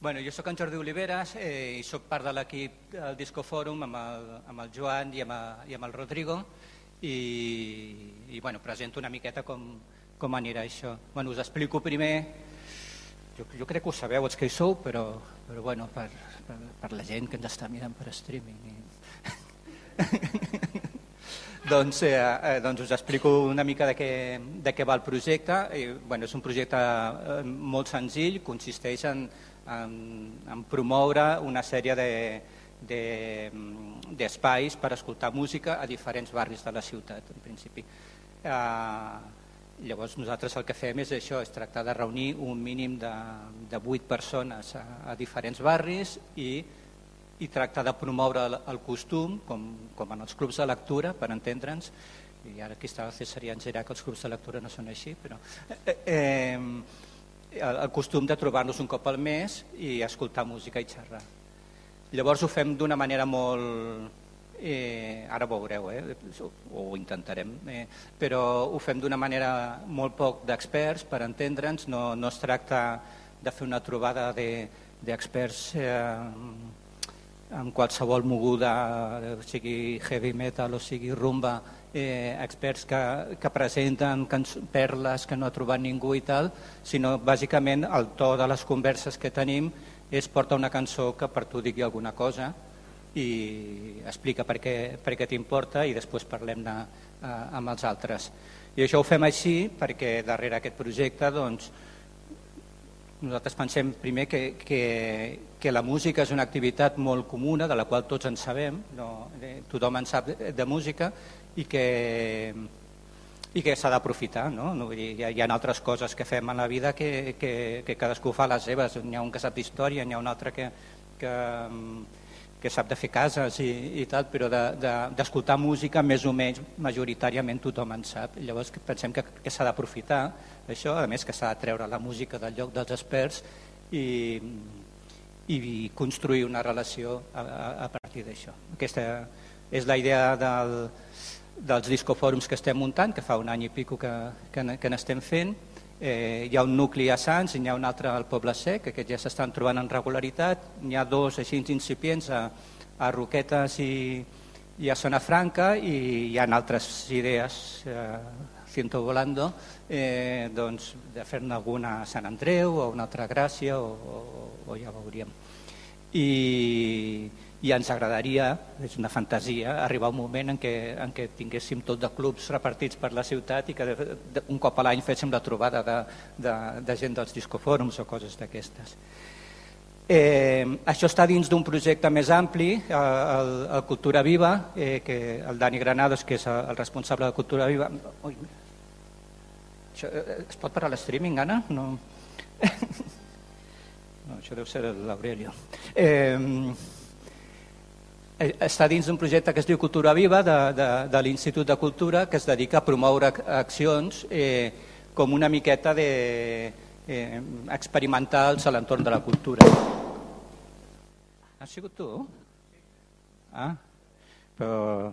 Bueno, jo sóc en Jordi Oliveras i sóc part de l'equip del Disco Fòrum amb el Joan i amb el Rodrigo i bueno, presento una miqueta com anirà això. Bueno, us explico primer, jo crec que ho sabeu els que hi sou, però bueno, per la gent que ens està mirant per streaming. Doncs us explico una mica de què va el projecte. Bueno, és un projecte molt senzill, consisteix en promoure una sèrie d'espais per escoltar música a diferents barris de la ciutat, en principi. Llavors nosaltres el que fem és això, és tractar de reunir un mínim de 8 persones a diferents barris i tractar de promoure el costum, com en els clubs de lectura, per entendre'ns, i ara aquí està el Cesarià en Gerard, que els clubs de lectura no són així, però el costum de trobar-nos un cop al mes i escoltar música i xerrar. Llavors ho fem d'una manera molt... ara ho veureu, ho intentarem, però ho fem d'una manera molt poc d'experts, per entendre'ns, no es tracta de fer una trobada d'experts amb qualsevol moguda, sigui heavy metal o sigui rumba, experts que presenten perles que no ha trobat ningú i tal, sinó bàsicament el to de les converses que tenim és porta una cançó que per tu digui alguna cosa i explica per què t'importa i després parlem-ne amb els altres. I això ho fem així perquè darrere aquest projecte doncs, nosaltres pensem primer que la música és una activitat molt comuna, de la qual tots en sabem, tothom en sap de música i que s'ha d'aprofitar. Hi ha altres coses que fem en la vida que cadascú fa les seves. N'hi ha un que sap d'història, n'hi ha un altre que sap de fer cases i tal, però d'escoltar música més o menys majoritàriament tothom en sap. Llavors pensem que s'ha d'aprofitar això, a més que s'ha de treure la música del lloc dels experts i construir una relació a partir d'això. Aquesta és la idea dels discofòrums que estem muntant, que fa un any i pico que n'estem fent. Hi ha un nucli a Sants i n'hi ha un altre al Poble Sec, que aquests ja s'estan trobant en regularitat. N'hi ha dos així incipients a Roquetes i a Zona Franca i hi ha altres idees ciento volando, doncs, de fer-ne alguna a Sant Andreu o una altra a Gràcia o ja veuríem. I ens agradaria, és una fantasia, arribar a un moment en què tinguéssim tot de clubs repartits per la ciutat i que un cop a l'any féssim la trobada de gent dels discofòrums o coses d'aquestes. Això està dins d'un projecte més ampli, el Cultura Viva, que el Dani Granados, que és el responsable de Cultura Viva... Es pot parar l'streaming, Anna? No, això deu ser l'Aurelio. Està dins d'un projecte que es diu Cultura Viva de l'Institut de Cultura, que es dedica a promoure accions com una miqueta experimentals a l'entorn de la cultura. Has sigut tu? Ah, però...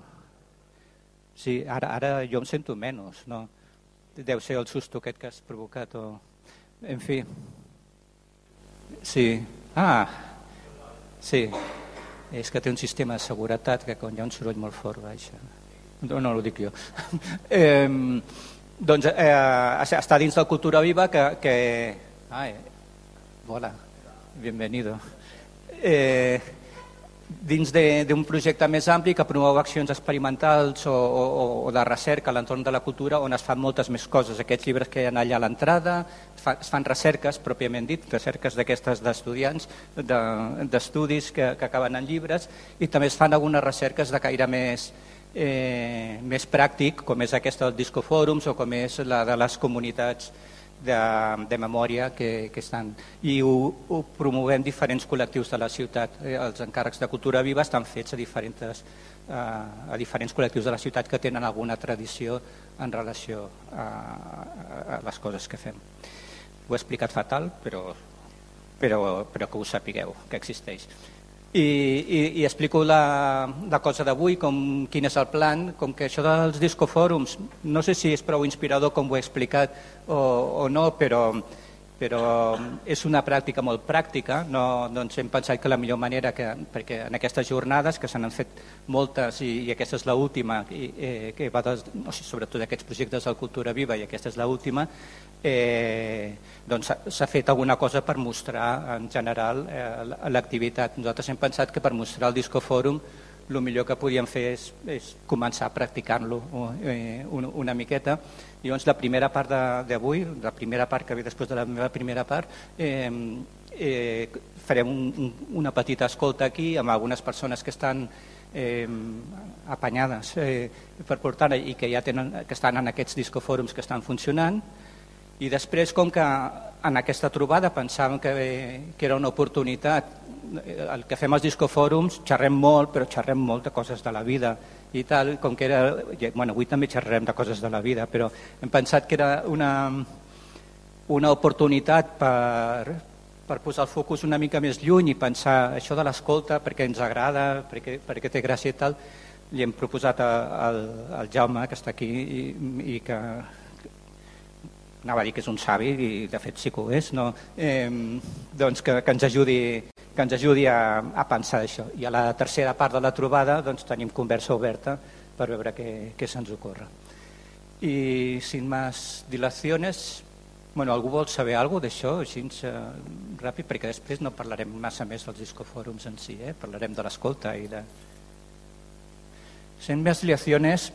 Sí, ara jo em sento menys, no? Deu ser el susto aquest que has provocat o... En fi. Sí. Ah, sí. És que té un sistema de seguretat que quan hi ha un soroll molt fort baixa. No ho dic jo. Doncs està dins de Cultura Viva que... Hola, bienvenido. Dins d'un projecte més ampli que promou accions experimentals o de recerca a l'entorn de la cultura on es fan moltes més coses. Aquests llibres que hi ha allà a l'entrada, es fan recerques, pròpiament dit, recerques d'aquestes d'estudiants, d'estudis que acaben en llibres, i també es fan algunes recerques de caire més pràctic, com és aquesta dels discofòrums o com és la de les comunitats de memòria que estan, i ho promovem diferents col·lectius de la ciutat. Els encàrrecs de Cultura Viva estan fets a diferents col·lectius de la ciutat que tenen alguna tradició en relació a les coses que fem. Ho he explicat fatal, però que ho sapigueu, que existeix. I explico la cosa d'avui, quin és el plan, com que això dels discofòrums, no sé si és prou inspirador com ho he explicat o no, però però és una pràctica molt pràctica. No ens hem pensat que la millor manera, perquè en aquestes jornades, que se n'han fet moltes i aquesta és l'última, que va sobretot aquests projectes de Cultura Viva, i aquesta és l'última, doncs s'ha fet alguna cosa per mostrar en general l'activitat. Nosaltres hem pensat que per mostrar el Discofòrum el millor que podíem fer és començar practicant-lo una miqueta. I llavors la primera part d'avui, la primera part que ve després de la meva primera part, farem una petita escolta aquí amb algunes persones que estan apanyades per portar i que ja que estan en aquests discofòrums que estan funcionant. I després, com que en aquesta trobada pensàvem que era una oportunitat, el que fem als discofòrums xerrem molt, però xerrem molt de coses de la vida i tal, com que era, bueno, avui també xerrem de coses de la vida, però hem pensat que era una oportunitat per posar el focus una mica més lluny i pensar això de l'escolta, perquè ens agrada, perquè té gràcia i tal. Li hem proposat al Jaume, que està aquí i que anava a dir que és un savi, i de fet sí que ho és, no? Doncs que ens ajudi a pensar això. I a la tercera part de la trobada doncs, tenim conversa oberta per veure què se'ns ocorre. I sin más dilaciones, bueno, algú vol saber alguna cosa d'això, així ràpid, perquè després no parlarem massa més dels discofòrums en si, parlarem de l'escolta i de... Sin más dilaciones,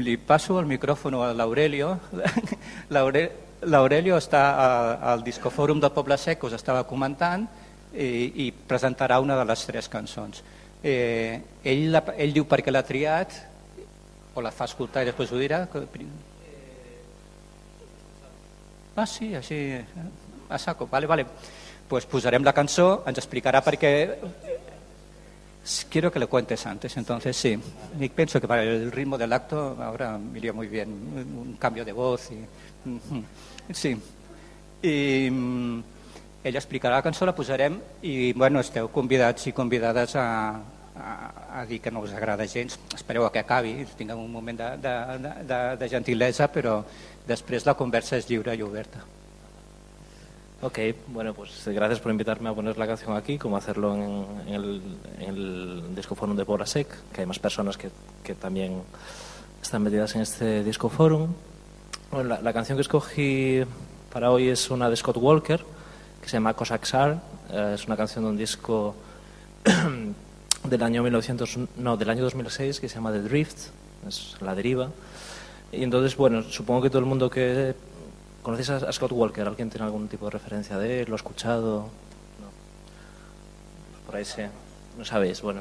li passo el micròfon a l'Aurelio. L'Aurelio està al discofòrum del Poble Sec, que us estava comentant, i presentarà una de les 3 cançons. Ell diu per què l'ha triat, o la fa escoltar i després ho dirà. Sí, així a saco. Vale. Pues posarem la cançó, ens explicarà per què. Quiero que lo cuentes antes, entonces sí. Y pienso que para el ritmo del acto ahora me iría muy bien un cambio de voz. Sí. I ella explicarà la cançó, la posarem i bueno, esteu convidats i convidades a dir que no us agrada gens. Espereu a que acabi, tinguem un moment de gentilesa, però després la conversa és lliure i oberta. Ok, bueno, pues gracias por invitarme a poner la canción aquí, como hacerlo en el Discofórum de Pobla Sec, que hay más personas que también están metidas en este Discofórum. Bueno, la canción que escogí para hoy es una de Scott Walker, que se llama Cosaxar. Es una canción de un disco del año 2006, que se llama The Drift, es La Deriva. Y entonces, bueno, supongo que todo el mundo que... ¿Conocéis a Scott Walker? ¿Alguien tiene algún tipo de referencia de él? ¿Lo ha escuchado? No. Por ahí sí. No sabéis. Bueno,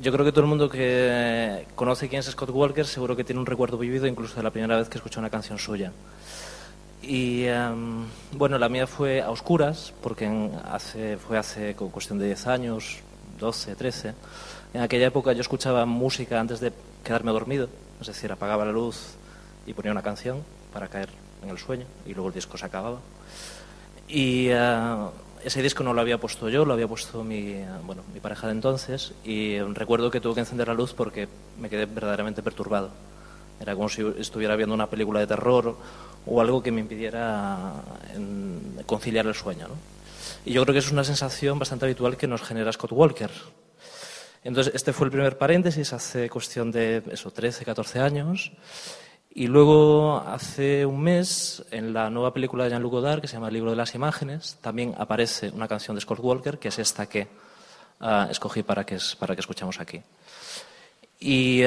yo creo que todo el mundo que conoce quién es Scott Walker seguro que tiene un recuerdo vivido incluso de la primera vez que escuchó una canción suya. Y bueno, la mía fue a oscuras, porque fue hace cuestión de 10 años, 12, 13. En aquella época yo escuchaba música antes de quedarme dormido, es decir, apagaba la luz y ponía una canción para caer en el sueño y luego el disco se acababa. Y ese disco no lo había puesto yo, lo había puesto mi pareja de entonces, y recuerdo que tuve que encender la luz porque me quedé verdaderamente perturbado. Era como si estuviera viendo una película de terror o algo que me impidiera conciliar el sueño, ¿no? Y yo creo que es una sensación bastante habitual que nos genera Scott Walker. Entonces, este fue el primer paréntesis hace cuestión de 13, 14 años. Y luego, hace un mes, en la nueva película de Jean-Luc Godard, que se llama El libro de las imágenes, también aparece una canción de Scott Walker, que es esta que escogí para que escuchemos aquí. Y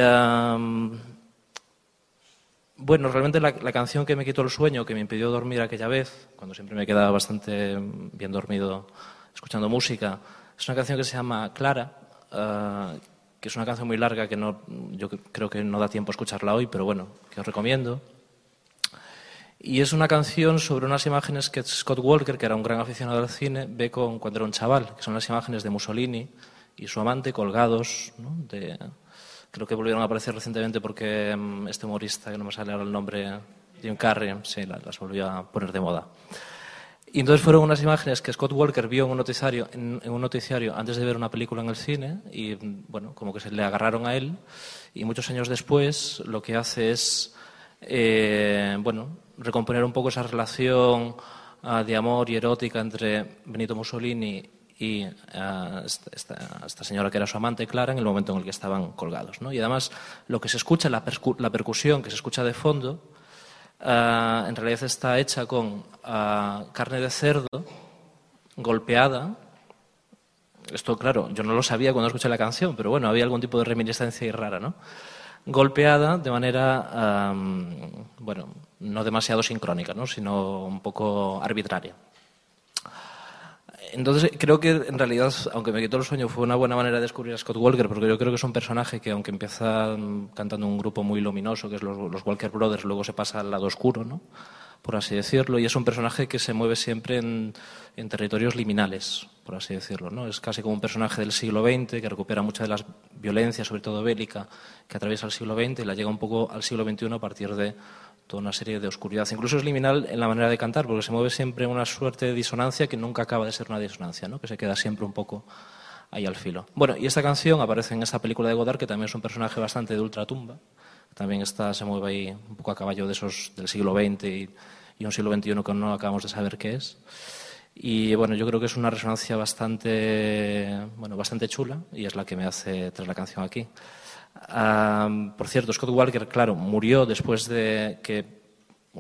bueno, realmente la canción que me quitó el sueño, que me impidió dormir aquella vez, cuando siempre me quedaba bastante bien dormido escuchando música, es una canción que se llama Clara, que es una canción muy larga que yo creo que no da tiempo a escucharla hoy, pero bueno, que os recomiendo. Y es una canción sobre unas imágenes que Scott Walker, que era un gran aficionado al cine, ve cuando era un chaval, que son las imágenes de Mussolini y su amante colgados, ¿no? Creo que volvieron a aparecer recientemente porque este humorista, que no me sale ahora el nombre, Jim Carrey, sí, las volvió a poner de moda. Y entonces fueron unas imágenes que Scott Walker vio en un noticiario antes de ver una película en el cine y, bueno, como que se le agarraron a él, y muchos años después lo que hace es, recomponer un poco esa relación de amor y erótica entre Benito Mussolini y esta señora que era su amante, Clara, en el momento en el que estaban colgados, ¿no? Y además lo que se escucha, la percusión que se escucha de fondo, en realidad está hecha con carne de cerdo golpeada. Esto, claro, yo no lo sabía cuando escuché la canción, pero bueno, había algún tipo de reminiscencia rara, ¿no? Golpeada de manera, bueno, no demasiado sincrónica, ¿no? Sino un poco arbitraria. Entonces, creo que en realidad, aunque me quitó el sueño, fue una buena manera de descubrir a Scott Walker, porque yo creo que es un personaje que, aunque empieza cantando un grupo muy luminoso, que es los Walker Brothers, luego se pasa al lado oscuro, ¿no? Por así decirlo, y es un personaje que se mueve siempre en territorios liminales, por así decirlo, ¿no? Es casi como un personaje del siglo XX que recupera mucha de la violencia, sobre todo bélica, que atraviesa el siglo XX y la llega un poco al siglo XXI a partir de toda una serie de oscuridad. Incluso es liminal en la manera de cantar, porque se mueve siempre en una suerte de disonancia que nunca acaba de ser una disonancia, ¿no? Que se queda siempre un poco ahí al filo. Bueno, y esta canción aparece en esta película de Godard, que también es un personaje bastante de ultratumba. También se mueve ahí un poco a caballo de esos del siglo XX y un siglo XXI que no acabamos de saber qué es. Y bueno, yo creo que es una resonancia bastante chula, y es la que me hace traer la canción aquí. Por cierto, Scott Walker, claro, murió después de que,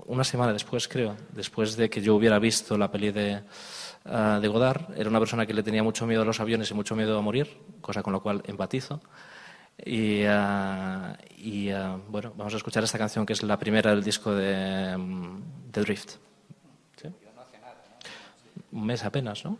una semana después, creo, después de que yo hubiera visto la peli de Godard. Era una persona que le tenía mucho miedo a los aviones y mucho miedo a morir, cosa con la cual empatizo. Y bueno, vamos a escuchar esta canción, que es la primera del disco de Drift. ¿Sí? Un mes apenas, ¿no?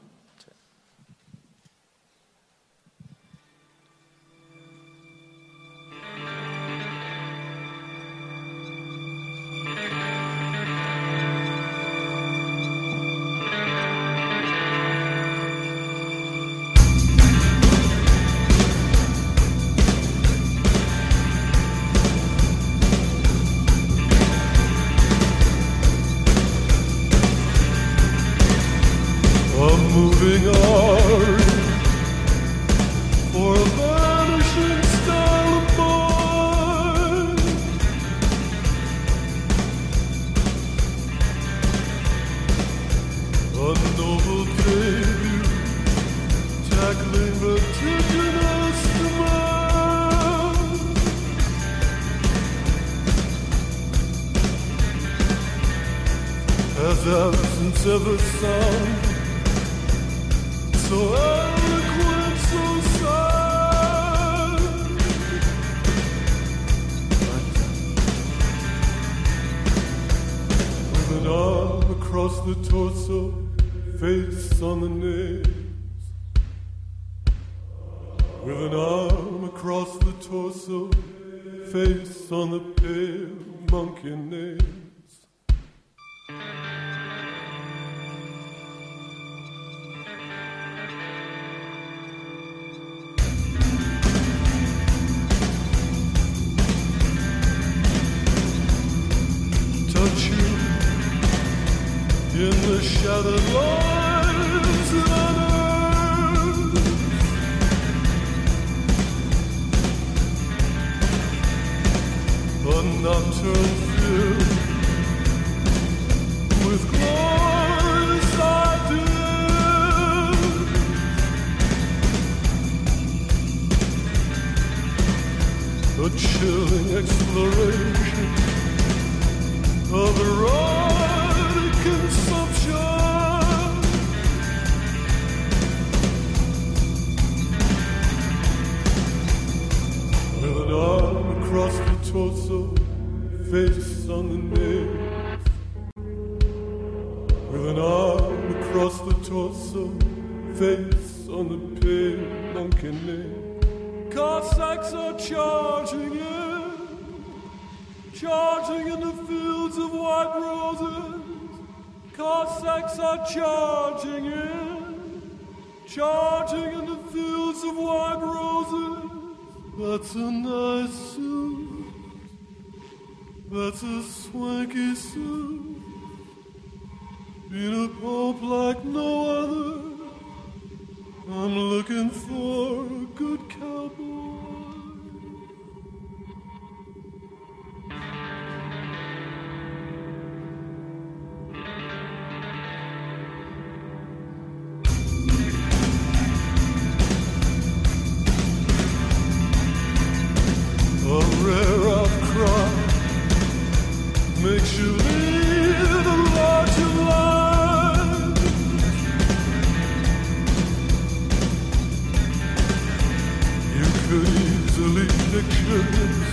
pictures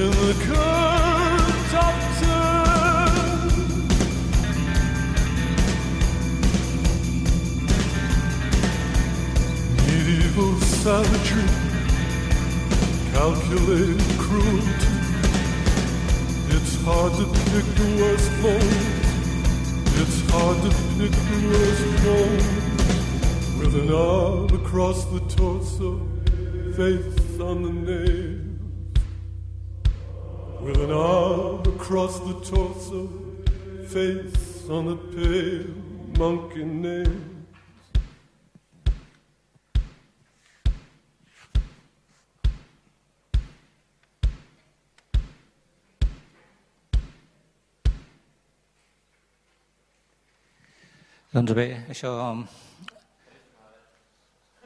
in the curved top turn. Medieval savagery, calculated cruelty. It's hard to pick the worst moment. It's hard to pick the worst moment. With an arm across the torso, face on the nails. With an arm across the torso, face on the pale monkey nails. Doncs bé, això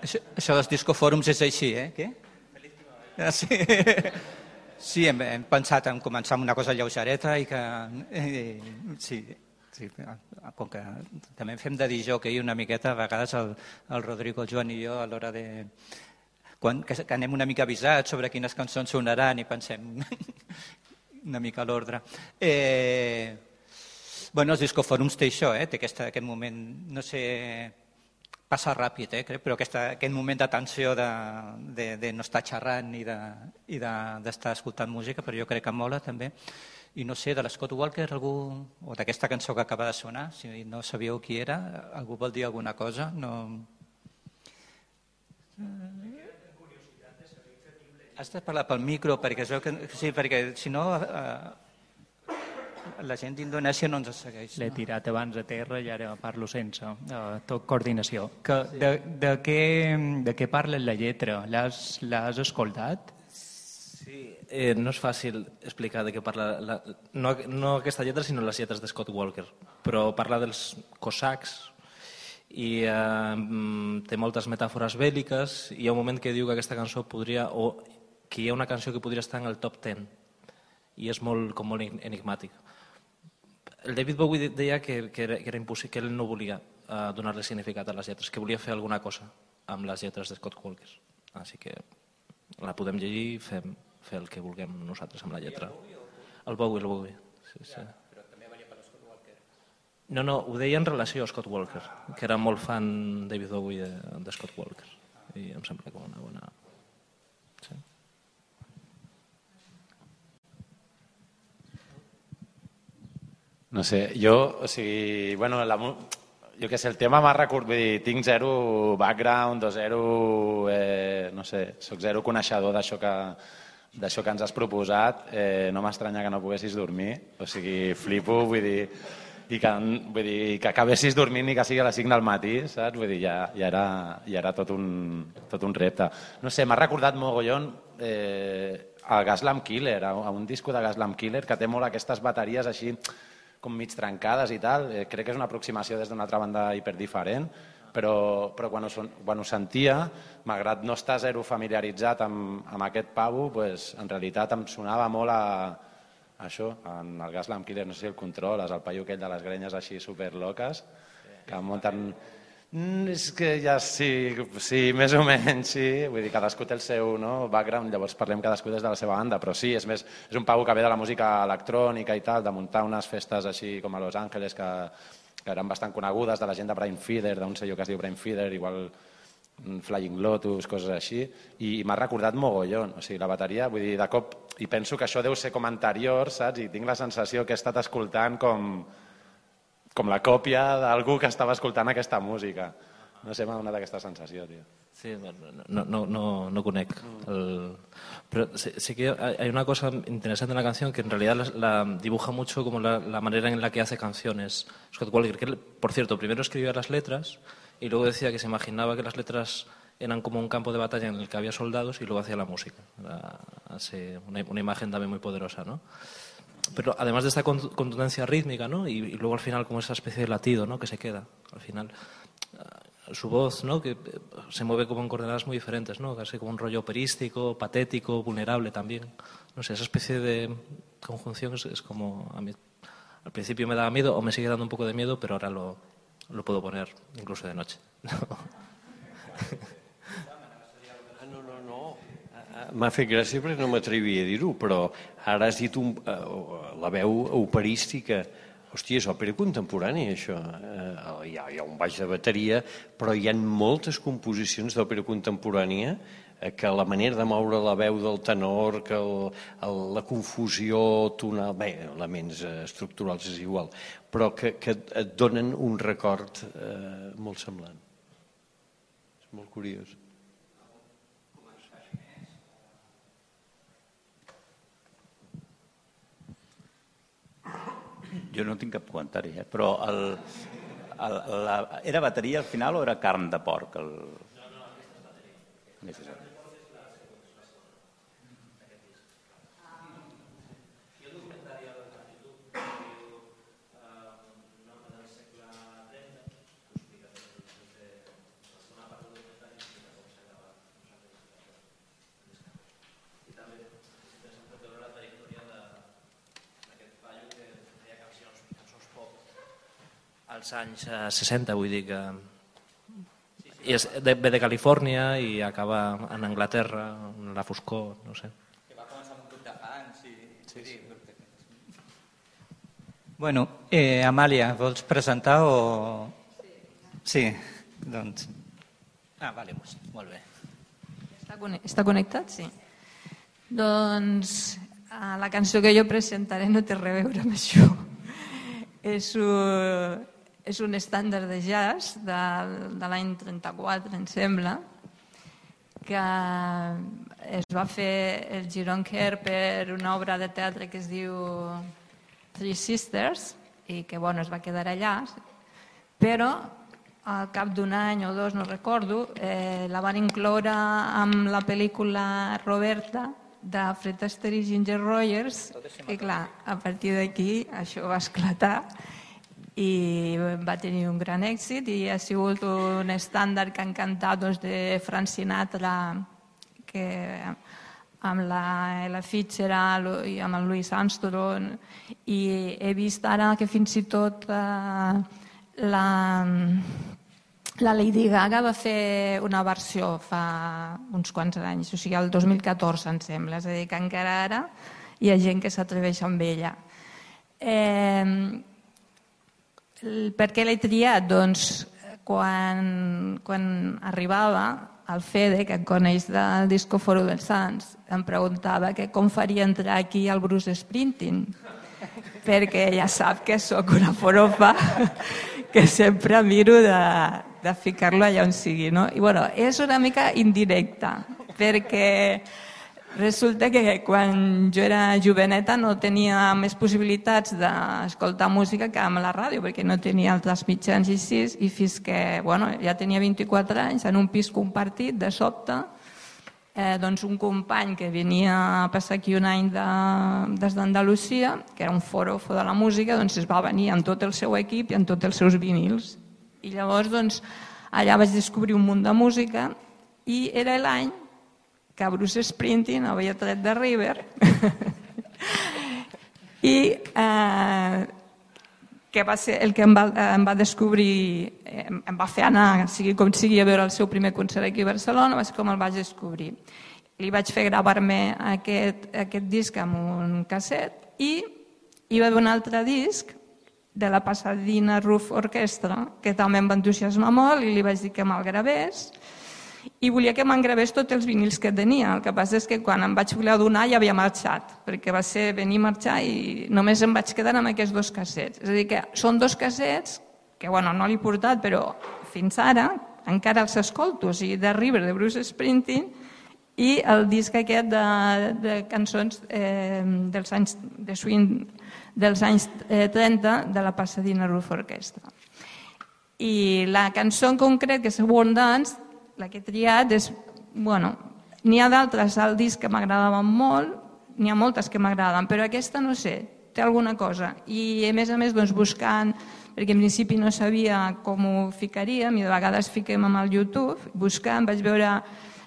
dels discofòrums és així, Què? Sí, sí, hem pensat en començar amb una cosa lleugereta i que... Sí, com que també fem de disjockey una miqueta, a vegades el Rodrigo, el Joan i jo, a l'hora de... que anem una mica avisats sobre quines cançons sonaran i pensem una mica a l'ordre. Bueno, els discofòrums té això, té aquest moment, no sé, passa ràpid, crec, però aquest moment d'atenció de no estar xerrant i d'estar escoltant música, però jo crec que mola també. I no sé, de l'Scott Walker, algú, o d'aquesta cançó que acaba de sonar, si no sabíeu qui era, algú vol dir alguna cosa? No... Has de parlar pel micro, perquè es veu que... Sí, perquè si no... La gent d'Indonèsia no ens segueix. L'he tirat abans a terra i ara parlo sense. Tot coordinació. De què parla la lletra? L'has escoltat? Sí, no és fàcil explicar de què parla, no aquesta lletra, sinó les lletres de Scott Walker, però parla dels cosacs i té moltes metàfores bèl·liques. Hi ha un moment que diu que aquesta cançó podria, o que hi ha una cançó que podria estar en el top 10, i és molt enigmàtic. El David Bowie deia que era impossible, que ell no volia donar-li significat a les lletres, que volia fer alguna cosa amb les lletres de Scott Walker. Així que la podem llegir i fer el que vulguem nosaltres amb la lletra. El Bowie. Sí. Però també venia per Scott Walker. No, ho deia en relació a Scott Walker, que era molt fan David Bowie de Scott Walker. I em sembla com una bona... Sí. No sé, jo, o sigui, bueno, jo què sé, el tema m'ha recordat, vull dir, tinc zero background o zero, no sé, soc zero coneixedor d'això que ens has proposat, no m'estranya que no poguessis dormir, o sigui, flipo, vull dir, que acabessis dormint i que sigui a les 5 del matí, saps? Vull dir, ja era tot un repte. No sé, m'ha recordat mogollon a Gaslamp Killer, a un disco de Gaslamp Killer que té molt aquestes bateries així com mig trencades i tal. Crec que és una aproximació des d'una altra banda hiperdiferent, però quan ho sentia, malgrat no estar zero familiaritzat amb aquest pavo, en realitat em sonava molt a això, en el Gaslamp Killer, no sé si el controles, el paio aquell de les grenyes així superloques, que munten... És que ja sí, més o menys, sí. Vull dir, cadascú té el seu background, llavors parlem cadascú des de la seva banda, però sí, és un pavo que ve de la música electrònica i tal, de muntar unes festes així com a Los Angeles que eren bastant conegudes, de la gent de Brain Feeder, d'un sello que es diu Brain Feeder, igual Flying Lotus, coses així, i m'ha recordat mogollon, o sigui, la bateria, vull dir, de cop, i penso que això deu ser com anterior, saps? I tinc la sensació que he estat escoltant com la còpia d'algú que estava escoltant aquesta música. No sé, m'ha donat aquesta sensació, tio. Sí, no conec. Pero sí que hay una cosa interesante en la canción que en realidad la dibuja mucho como la manera en la que hace canciones Scott Walker, que él, por cierto, primero escribía las letras y luego decía que se imaginaba que las letras eran como un campo de batalla en el que había soldados y luego hacía la música. Hace una imagen también muy poderosa, ¿no? Pero además de esta contundencia rítmica, ¿no? Y luego al final como esa especie de latido, ¿no? Que se queda al final. Su voz, ¿no? Que se mueve como en coordenadas muy diferentes, ¿no? Casi como un rollo operístico, patético, vulnerable también. No sé, esa especie de conjunción es como... A mí, al principio me daba miedo o me sigue dando un poco de miedo, pero ahora lo puedo poner incluso de noche. No. M'ha fet gràcia perquè no m'atrevia a dir-ho, però ara has dit la veu operística. Hòstia, és òpera contemporània, això. Hi ha un baix de bateria, però hi ha moltes composicions d'òpera contemporània que la manera de moure la veu del tenor, que la confusió tonal, bé, elements estructurals és igual, però que et donen un record molt semblant. És molt curiós. Jo no tinc cap comentari, però era bateria al final o era carn de porc? Als anys 60, vull dir que ve de Califòrnia i acaba en Anglaterra, en la foscor, no sé. Que va començar amb un grup de fans i... Sí. Bueno, Amàlia, vols presentar o...? Sí, doncs... vale, molt bé. Està connectat? Sí. Doncs la cançó que jo presentaré no té res a veure amb això. És un estàndard de jazz de l'any 34, em sembla, que es va fer el Giron Kerr per una obra de teatre que es diu Three Sisters i que es va quedar allà, però al cap d'un any o dos, no recordo, la van incloure amb la pel·lícula Roberta de Fred Astaire i Ginger Rogers i clar, a partir d'aquí això va esclatar i va tenir un gran èxit i ha sigut un estàndard que han cantat de Frank Sinatra amb la Ella Fitzgerald i amb el Louis Armstrong i he vist ara que fins i tot la Lady Gaga va fer una versió fa uns quants anys, o sigui el 2014 em sembla, és a dir que encara ara hi ha gent que s'atreveix amb ella. Per què l'he triat? Doncs quan arribava el Fede, que em coneix del Disco Foro dels Sants, em preguntava que com faria entrar aquí el Bruce Springsteen, perquè ja sap que sóc una forofa que sempre miro de ficar-lo allà on sigui. No? I és una mica indirecta, perquè resulta que quan jo era joveneta no tenia més possibilitats d'escoltar música que amb la ràdio, perquè no tenia altres mitjans i així, i fins que ja tenia 24 anys, en un pis compartit, de sobte, doncs un company que venia a passar aquí un any des d'Andalusia, que era un forofo de la música, doncs es va venir amb tot el seu equip i amb tots els seus vinils. I llavors doncs, allà vaig descobrir un munt de música i era l'any que Bruce Springsteen havia tret de River i que va ser el que em va descobrir, em va fer anar, sigui com sigui, a veure el seu primer concert aquí a Barcelona, va ser com el vaig descobrir. Li vaig fer gravar-me aquest disc amb un casset i hi va haver un altre disc de la Pasadena Roof Orchestra que també em va entusiasmar molt i li vaig dir que me'l gravés i volia que me'n gravés tots els vinils que tenia. El que passa és que quan em vaig voler adonar ja havia marxat, perquè va ser venir i marxar i només em vaig quedar amb aquests dos cassets. És a dir, que són dos cassets que no l'he portat, però fins ara encara els escolto, o sigui, de River, de Bruce Springsteen, i el disc aquest de cançons dels anys de swing dels anys 30 de la Pasadena Roof Orchestra. I la cançó en concret, que és World Dance, la que he triat és, n'hi ha d'altres al disc que m'agradaven molt, n'hi ha moltes que m'agraden, però aquesta no sé, té alguna cosa. I a més, buscant, perquè en principi no sabia com ho ficaríem, i de vegades fiquem amb el YouTube, buscant, vaig veure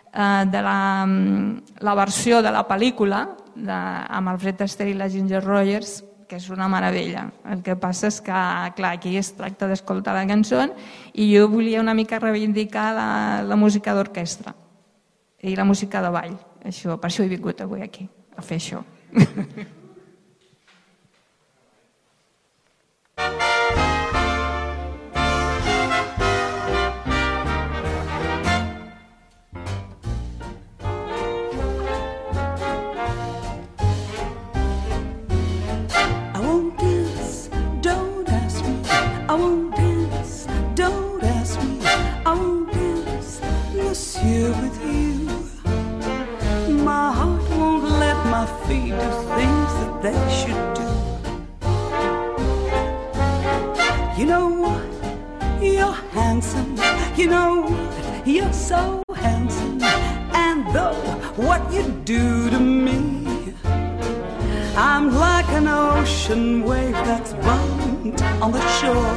de la versió de la pel·lícula amb el Fred Astaire i la Ginger Rogers, que és una meravella. El que passa és que, clar, aquí es tracta d'escoltar la cançó i jo volia una mica reivindicar la música d'orquestra. i la música de ball. Per això he vingut avui aquí, a fer això. Feet do things that they should do. You know what? You're handsome. You know what? You're so handsome. And though what you do to me, I'm like an ocean wave that's bumped on the shore.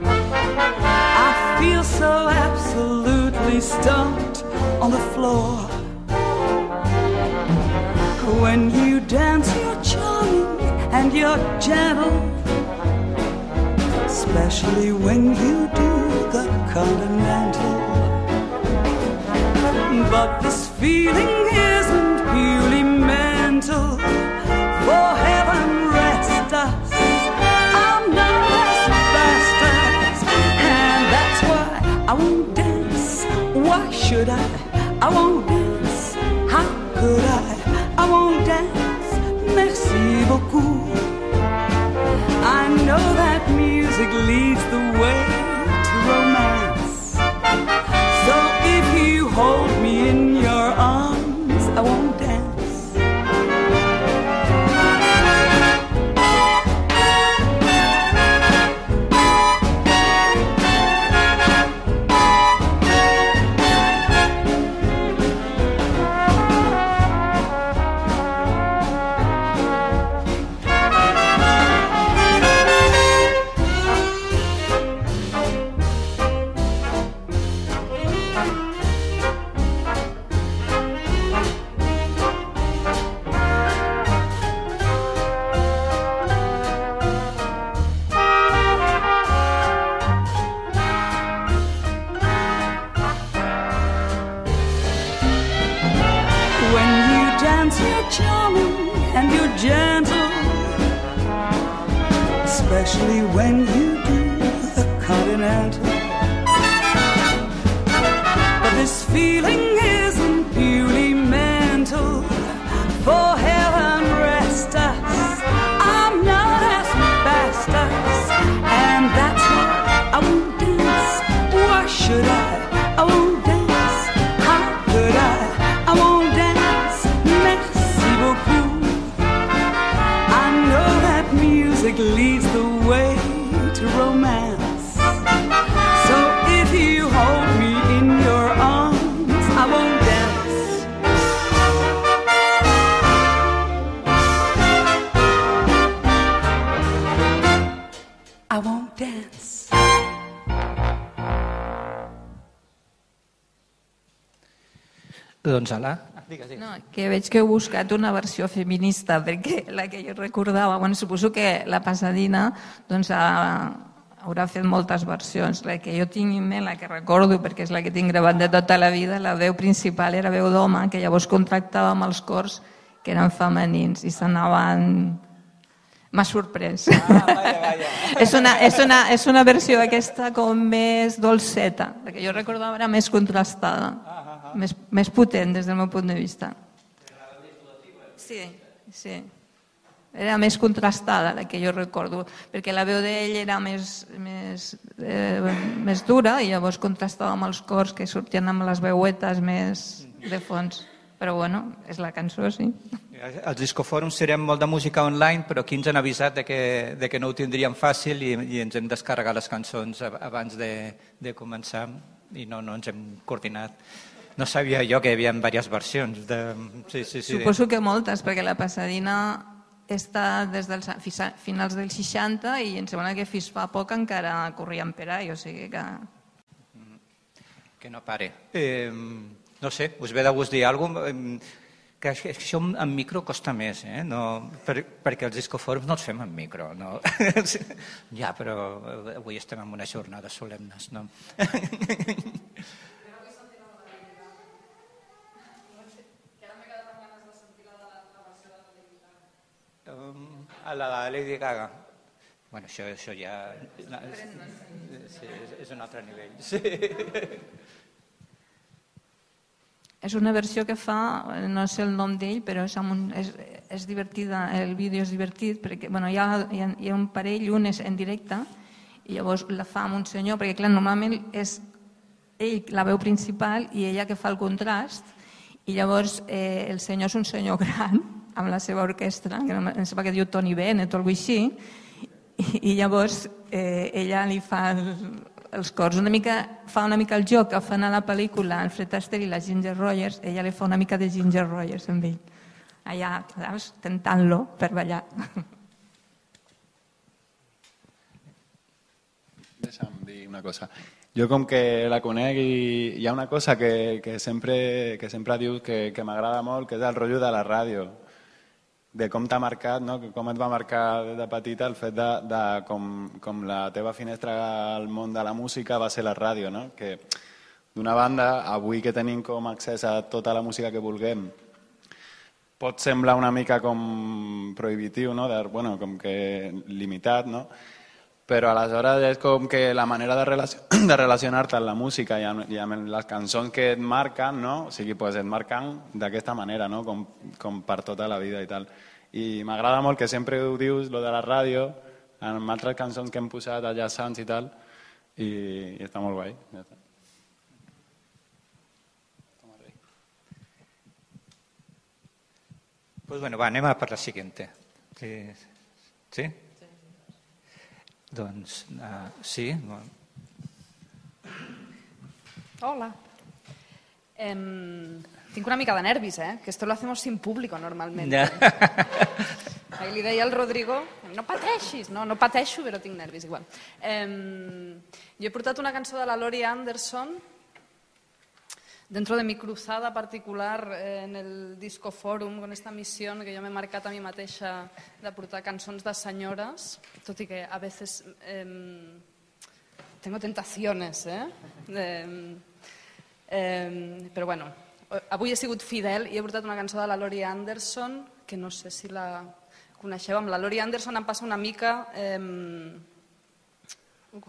I feel so absolutely stumped on the floor. When you dance, you're charming and you're gentle, especially when you do the continental. But this feeling isn't purely mental. For heaven rest us, I'm not asbestos, and that's why I won't dance. Why should I? I won't dance. How could I won't dance, merci beaucoup. I know that music leads the way to romance. So if you hold me in your arms, I won't dance. Especially when you do the continental. But this feeling isn't purely mental. For heaven rest us, I'm not asbestos, and that's why I won't dance. Why should I? I won't dance. How could I won't dance. Merci beaucoup. I know that music leads the way to romance. So if you hold me in your arms, I won't dance. I won't dance. Doncs ala. Digues. No, que veig que heu buscat una versió feminista, perquè la que jo recordava, bueno, suposo que la Pasadina doncs, haurà fet moltes versions. La que jo tinc en ment, la que recordo, perquè és la que tinc gravat de tota la vida, la veu principal era veu d'home, que llavors contractàvem els cors que eren femenins i s'anaven... M'ha sorprès. Vaya. És una versió aquesta com més dolceta, la que jo recordava era més contrastada. Més potent des del meu punt de vista. Sí. Era més contrastada la que jo recordo, perquè la veu d'ell era més dura i llavors contrastava amb els cors que sortien amb les veuetes més de fons. Però bueno, és la cançó, sí. Els discofòrums serem molt de música online, però aquí ens han avisat de que no ho tindríem fàcil i ens hem descarregat les cançons abans de començar i no ens hem coordinat. No sabia jo que hi havia diverses versions. Sí. Suposo que moltes, perquè la Pasadina està des dels finals dels 60 i em sembla que fins fa poc encara corrien per ahí, o sigui que... Que no pare. No sé, us ve de gust dir alguna cosa? Que això en micro costa més, no, perquè els discofòrums no els fem en micro. No? Ja, però avui estem en unes jornades solemnes, no? la Lady Gaga. Bueno, això ja... Sí, és un altre nivell. Sí. És una versió que fa, no sé el nom d'ell, però és divertida, el vídeo és divertit, perquè hi ha un parell, un és en directe, i llavors la fa amb un senyor, perquè clar, normalment és ell la veu principal i ella que fa el contrast, i llavors el senyor és un senyor gran, amb la seva orquestra, que em sembla que diu Tony Bennett o alguna cosa així, i llavors ella li fa els cors. Fa una mica el joc que fan a la pel·lícula el Fred Astaire i la Ginger Rogers, ella li fa una mica de Ginger Rogers amb ell. Allà, saps, tentant-lo per ballar. Deixa'm dir una cosa. Jo com que la conec i hi ha una cosa que sempre dius que m'agrada molt, que és el rotllo de la ràdio, de com t'ha marcat, no? Com et va marcar de petita el fet de com la teva finestra al món de la música va ser la ràdio, no? Que d'una banda, avui que tenim com accés a tota la música que vulguem, pot semblar una mica com prohibitiu, no? Com que limitat, no? Però aleshores és com que la manera de relacionar-te amb la música i amb les cançons que et marquen, no? O sigui, pues et marquen d'aquesta manera, no? Com per tota la vida i tal. I m'agrada molt que sempre ho dius, lo de la ràdio, amb altres cançons que hem posat a Jazz Sounds i tal, i està molt guai. Ja està. Pues bueno, va, anem a per la siguiente. Sí? Doncs, sí. Hola. Tinc una mica de nervis, que esto lo hacemos sin público normalmente. Ahí li deia al Rodrigo, no pateixis, no pateixo, però tinc nervis igual. Jo he portat una cançó de la Laurie Anderson dentro de mi cruzada particular en el Disco Forum, con esta misión que yo me he marcat a mi mateixa de portar cançons de senyores, tot i que a veces tengo tentaciones, però bueno, avui he sigut fidel i he portat una cançó de la Laurie Anderson, que no sé si la coneixeu. Amb la Laurie Anderson em passa una mica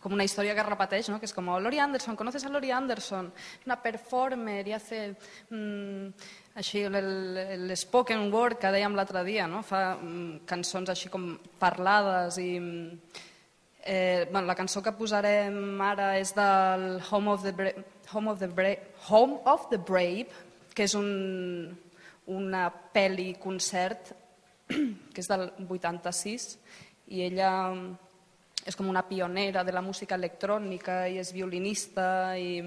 com una història que es repeteix, ¿no? Que és com, Laurie Anderson, ¿conoces a Laurie Anderson? Una performer i hace així el spoken word que dèiem l'altre dia, no? Fa cançons així com parlades i la cançó que posarem ara és del Home of the Brave, que és una pel·li-concert que és del 86 i ella és com una pionera de la música electrònica i és violinista i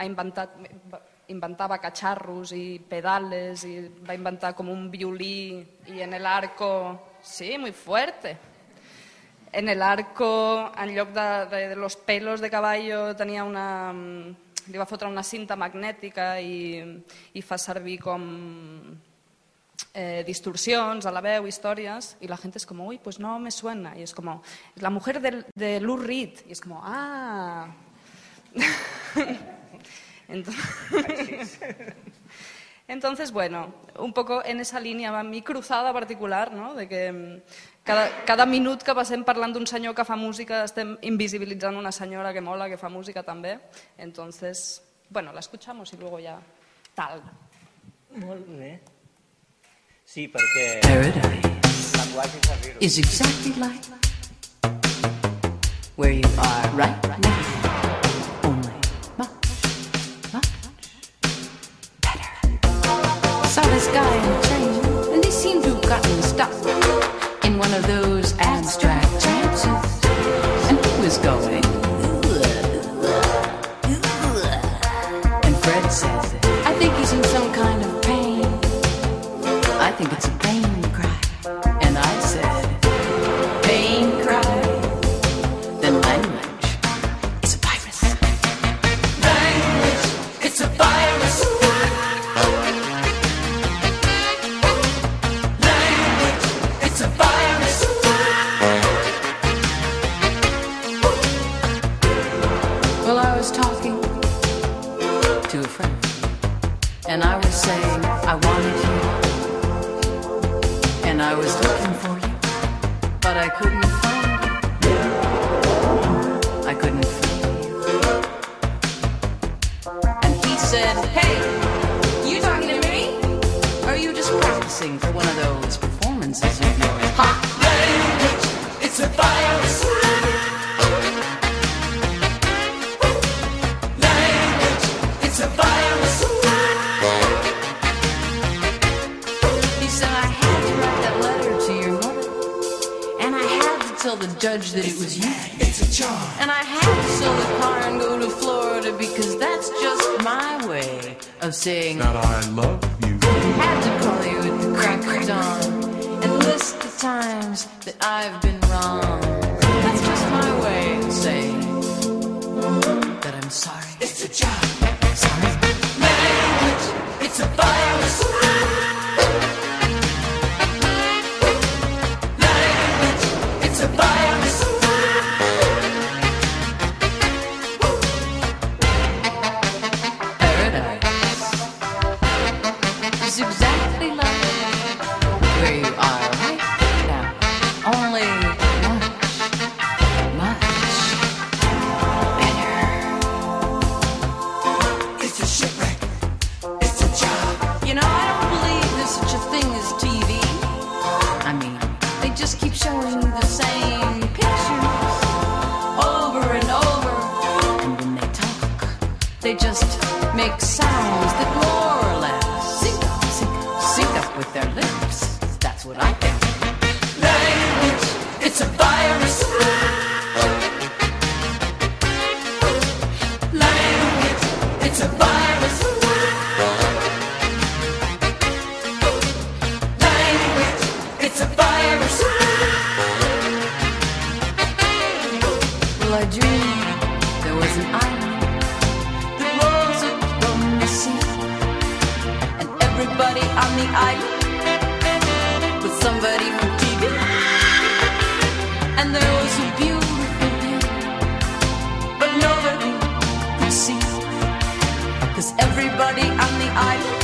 inventava cacharros i pedales i va inventar com un violí i en el arco, sí, muy fuerte, en el arco en lloc de los pelos de caballo tenia li va fotre una cinta magnètica i fa servir com distorsions a la veu, històries, i la gent és com, uy, pues no me suena, y es como, es la mujer de Lou Reed, y es como, Entonces, bueno, un poco en esa línea va mi cruzada particular, ¿no? De que cada minut que passem parlant d'un senyor que fa música estem invisibilitzant una senyora que mola, que fa música també. Entonces, bueno, la escuchamos y luego ya tal. Molt bé. Sí, perquè... Paradise is exactly like where you are right now. Only much better. Saw this guy in a train, and they seem to have gotten stuck in one of those abstract trances. And he was going, and Fred said, I think he's in some kind of pain. I think it's a pain cry. And I said, pain cry? Then language is a virus. Language, it's a virus. Language, it's a virus. Well, I was talking to a friend, and I was saying I wanted you. And I was looking for you but I couldn't find you. I couldn't find you. And he said, hey, you talking to me? Or are you just practicing for one of those performances of yours? Ha! Language, it's a virus. Language, it's a virus. He said, I had to write that letter to your mother, and I had to tell the judge that it was you. It's a charm. And I had to sell the car and go to Florida because that's just my way of saying that I love you. I had to call you at the crack of dawn and list the times that I've been wrong. That's just my way of saying that I'm sorry. It's a job. Sorry. Language, it's a virus. Language, it's a virus. Paradise is exactly like where you are right now. Only much better. It's a shipwreck. It's a job. You know, I don't believe there's such a thing as TV. I mean, they just keep showing the same pictures over and over. And when they talk, they just make sounds that more or less sync up with their lips. That's what I think. Language, it's a virus. Language, it's a virus. Language, it's a virus. Well, I dreamed there was an island that rose up from the sea, and everybody on the island was somebody from TV. And there was a beautiful view, but nobody could see, 'cause everybody on the island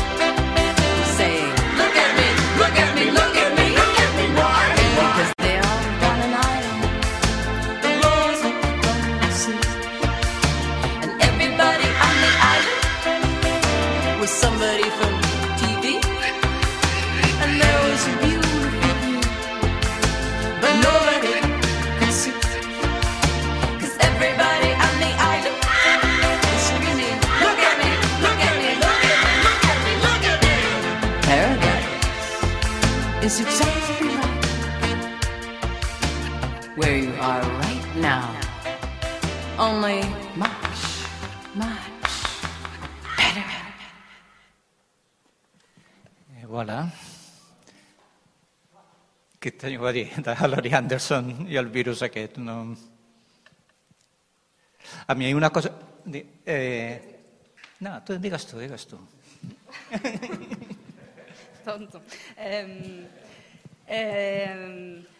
was saying, look at me, look at me, look at me, look at me, why? Because they are on an island that rose up from the sea, and everybody on the island was somebody from TV. And there was a beautiful view, but nobody could see, 'cause everybody on the island was screaming, look at me, look at me, look at me, look at me, look at me. Paradise is exactly like where you are right now. Only much, much better. Voilà. Què teniu a dir de Laurie Anderson i el virus aquest? No... A mi hi ha una cosa... No, tu digues tu. Tonto.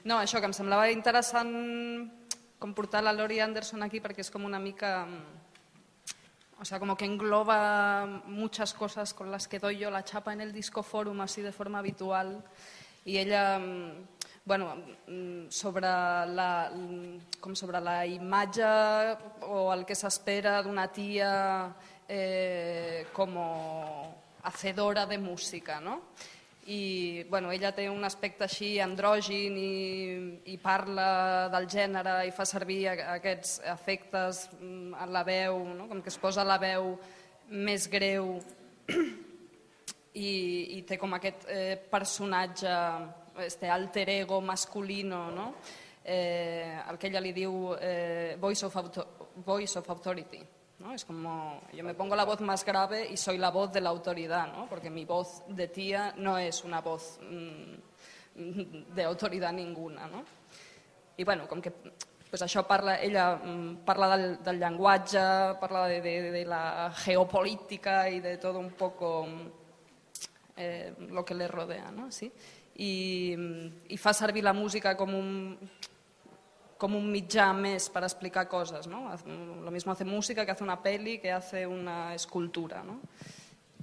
No, això, que em semblava interessant com portar la Laurie Anderson aquí perquè és com una mica... O sea, como que engloba muchas cosas con las que doy yo la chapa en el Disco Forum así de forma habitual. Y ella, bueno, sobre la imatge o el que s'espera d'una tia como hacedora de música, ¿no? I bueno, ella té un aspecte així andrògin i parla del gènere i fa servir aquests efectes en la veu, no? Com que es posa la veu més greu i té com aquest personatge, este alter ego masculino, no? El que ella li diu voice of authority, ¿no? Es como, yo me pongo la voz más grave y soy la voz de la autoridad, ¿no? Porque mi voz de tía no es una voz de autoridad ninguna, ¿no? I bueno, com que pues això ella parla del llenguatge, parla de la geopolítica y de todo un poco lo que le rodea, ¿no? ¿Sí? I fa servir la música com un mitjà més per explicar coses, ¿no? Lo mismo hace música que hace una peli, que hace una escultura, ¿no?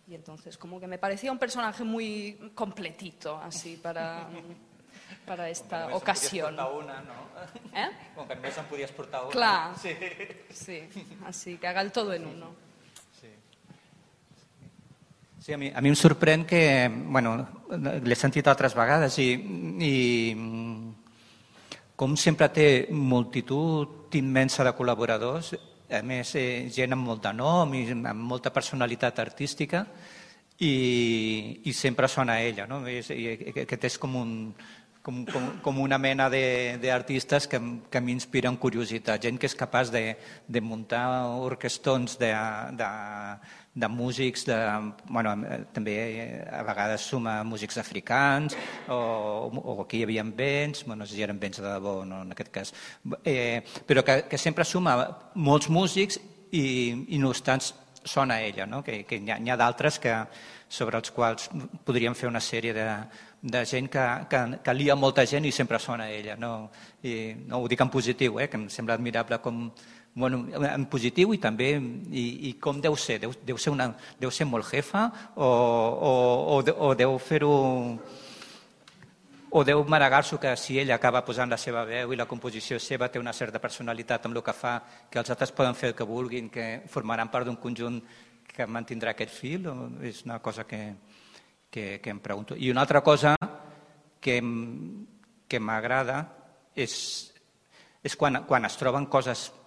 Y entonces como que me parecía un personaje muy completito, así, para para esta ocasión. Una, ¿no? Com que només en podies portar una. Clar, sí, així que haga el todo en uno. Sí, a mi em sorprèn que, bueno, l'he sentit altres vegades i com sempre té multitud immensa de col·laboradors, a més gent amb molt de nom i amb molta personalitat artística i sempre sona a ella, no? Aquest és com una mena d'artistes que a mi inspiren curiositat, gent que és capaç de muntar orquestrons de músics, també a vegades suma músics africans o aquí hi havia vents, no sé si eren vents de debò no, en aquest cas, però que sempre suma molts músics i no obstant sona a ella, no? Que n'hi ha d'altres sobre els quals podríem fer una sèrie de gent que lia molta gent i sempre sona a ella. No ho dic en positiu, que em sembla admirable en positiu i també i com deu ser. Deu ser molt jefa o deu fer-ho o deu maregar-s'ho que si ella acaba posant la seva veu i la composició seva té una certa personalitat amb el que fa, que els altres poden fer el que vulguin, que formaran part d'un conjunt que mantindrà aquest fil, és una cosa que em pregunto. I una altra cosa que m'agrada és quan es troben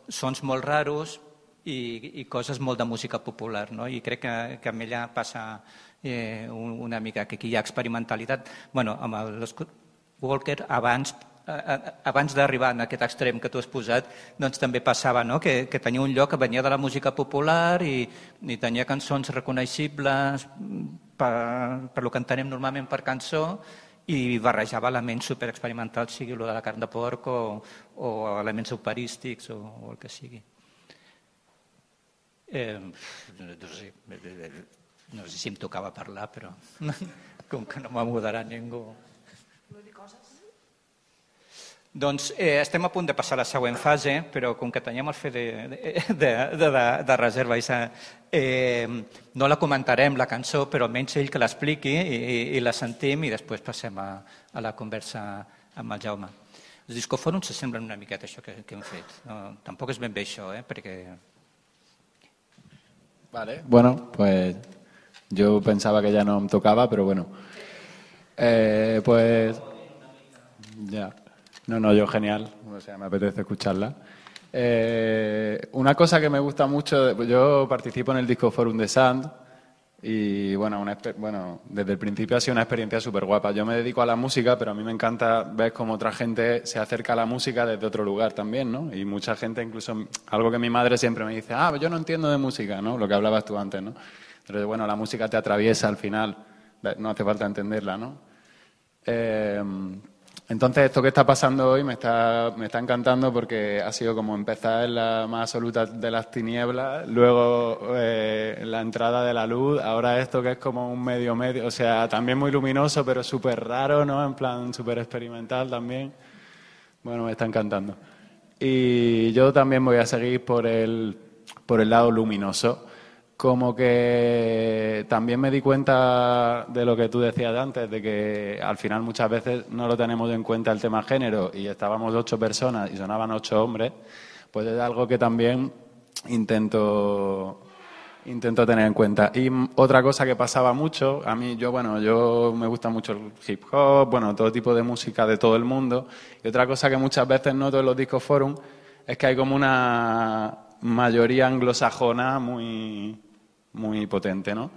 sons molt raros i coses molt de música popular, no? I crec que amb ella passa una mica, que aquí hi ha experimentalitat. Bueno, amb el Scott Walker, abans d'arribar en aquest extrem que tu has posat, doncs també passava, no? Que tenia un lloc que venia de la música popular i tenia cançons reconeixibles per lo que entenem normalment per cançó i barrejava elements superexperimentals, sigui el de la carn de porc o elements operístics o el que sigui. No sé si em tocava parlar, però com que no m'ha moderat ningú. Doncs estem a punt de passar a la següent fase, però com que teníem el fet de reserva, no la comentarem, la cançó, però almenys ell que l'expliqui i la sentim i després passem a la conversa amb el Jaume. Els discofòrums s'assemblen una miqueta a això que hem fet. Tampoc és ben bé això, perquè... Vale, bueno, pues yo pensaba que ya no me tocaba, pero bueno. Pues ya. No, yo genial, o sea, me apetece escucharla. Una cosa que me gusta mucho, yo participo en el Discoforum de Sand y bueno, desde el principio ha sido una experiencia súper guapa. Yo me dedico a la música, pero a mí me encanta ver cómo otra gente se acerca a la música desde otro lugar también, ¿no? Y mucha gente, incluso algo que mi madre siempre me dice, yo no entiendo de música, ¿no? Lo que hablabas tú antes, ¿no? Entonces, bueno, la música te atraviesa al final, no hace falta entenderla, ¿no? Entonces, esto que está pasando hoy me está encantando porque ha sido como empezar en la más absoluta de las tinieblas, luego la entrada de la luz, ahora esto que es como un medio, o sea, también muy luminoso, pero súper raro, ¿no? En plan súper experimental también. Bueno, me está encantando. Y yo también voy a seguir por el lado luminoso. Como que también me di cuenta de lo que tú decías antes, de que al final muchas veces no lo tenemos en cuenta el tema género y estábamos 8 personas y sonaban 8 hombres, pues es algo que también intento tener en cuenta. Y otra cosa que pasaba mucho, a mí yo me gusta mucho el hip hop, todo tipo de música de todo el mundo, y otra cosa que muchas veces noto en los Discoforum es que hay como una mayoría anglosajona muy potente, ¿no?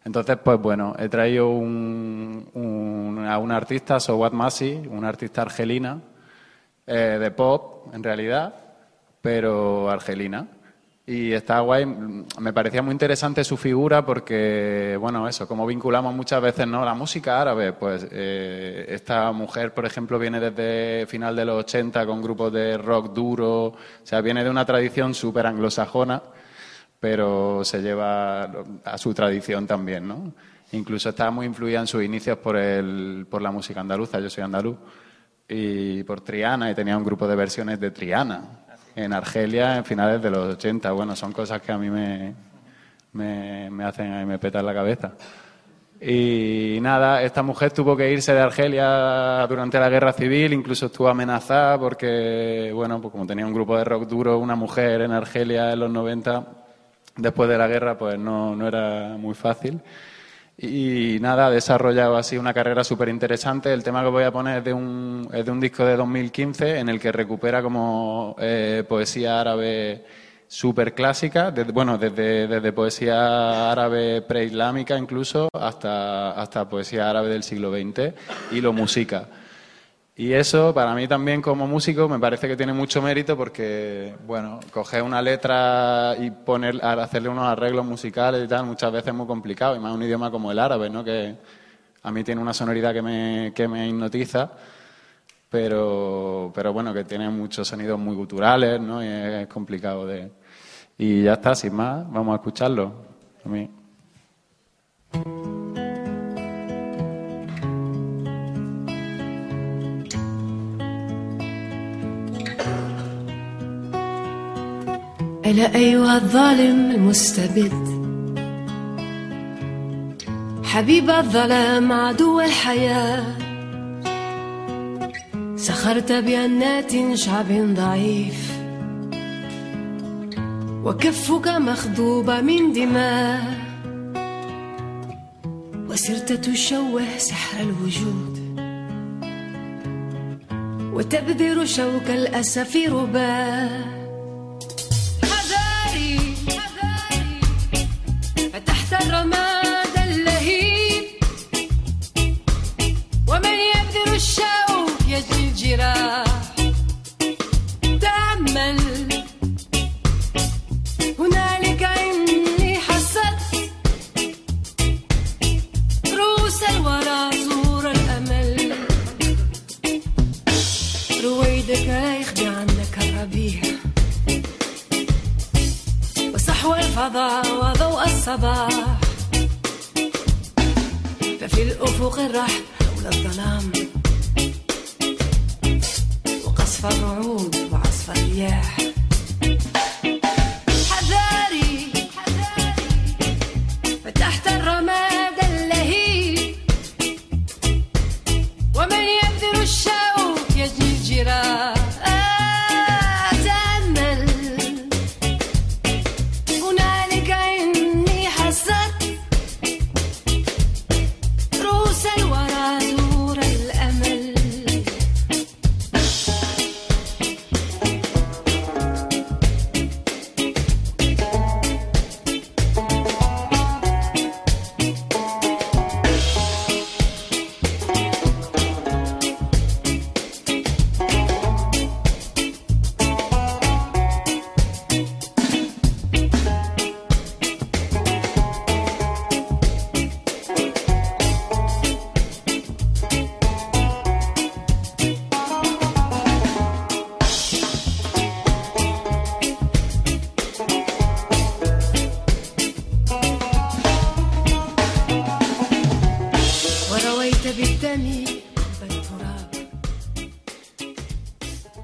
Entonces, pues bueno, he traído a una artista, Sowat Masi, una artista argelina, de pop, en realidad, pero argelina. Y está guay, me parecía muy interesante su figura porque, como vinculamos muchas veces, ¿no? La música árabe, pues esta mujer, por ejemplo, viene desde final de los 80 con grupos de rock duro, o sea, viene de una tradición súper anglosajona, pero se lleva a su tradición también, ¿no? Incluso está muy influida en sus inicios por la música andaluza, yo soy andaluz, y por Triana, y tenía un grupo de versiones de Triana en Argelia en finales de los 80. Bueno, son cosas que a mí me hacen y me petan la cabeza. Y nada, esta mujer tuvo que irse de Argelia durante la guerra civil, incluso estuvo amenazada porque, bueno, pues como tenía un grupo de rock duro, una mujer en Argelia en los 90, después de la guerra, pues no era muy fácil. Y nada, ha desarrollado así una carrera súper interesante. El tema que voy a poner es de un disco de 2015 en el que recupera como poesía árabe súper clásica, desde poesía árabe preislámica incluso hasta poesía árabe del siglo XX y lo musica. Y eso para mí también como músico me parece que tiene mucho mérito porque, bueno, coger una letra y hacerle unos arreglos musicales y tal muchas veces es muy complicado, y más un idioma como el árabe, ¿no? Que a mí tiene una sonoridad que me hipnotiza, pero bueno, que tiene muchos sonidos muy guturales, ¿no? Y es complicado de... Y ya está, sin más, vamos a escucharlo. A mí. ألا أيها الظالم المستبد حبيب الظلام عدو الحياة سخرت بأنات شعب ضعيف وكفك مخضوبة من دماء وسرت تشوه سحر الوجود وتبذر شوك الأسى في رباه حذاري فتحت الرماد اللهيب ومن يبذر الشوك يجري الجراح تأمل هنالك إني حصدت رؤوس الورى زور الأمل رويدك لا يخفي عنك الربيع وصحو الفضاء وضوء الصباح ففي الأفق الرحب حول الظلام وقصف الرعود وعصف الرياح فتحت الرماد اللهيب ومن يبذر الشوك يجني الجراح تأمل هنالك إني حصدت رؤوس الورى زور الأمل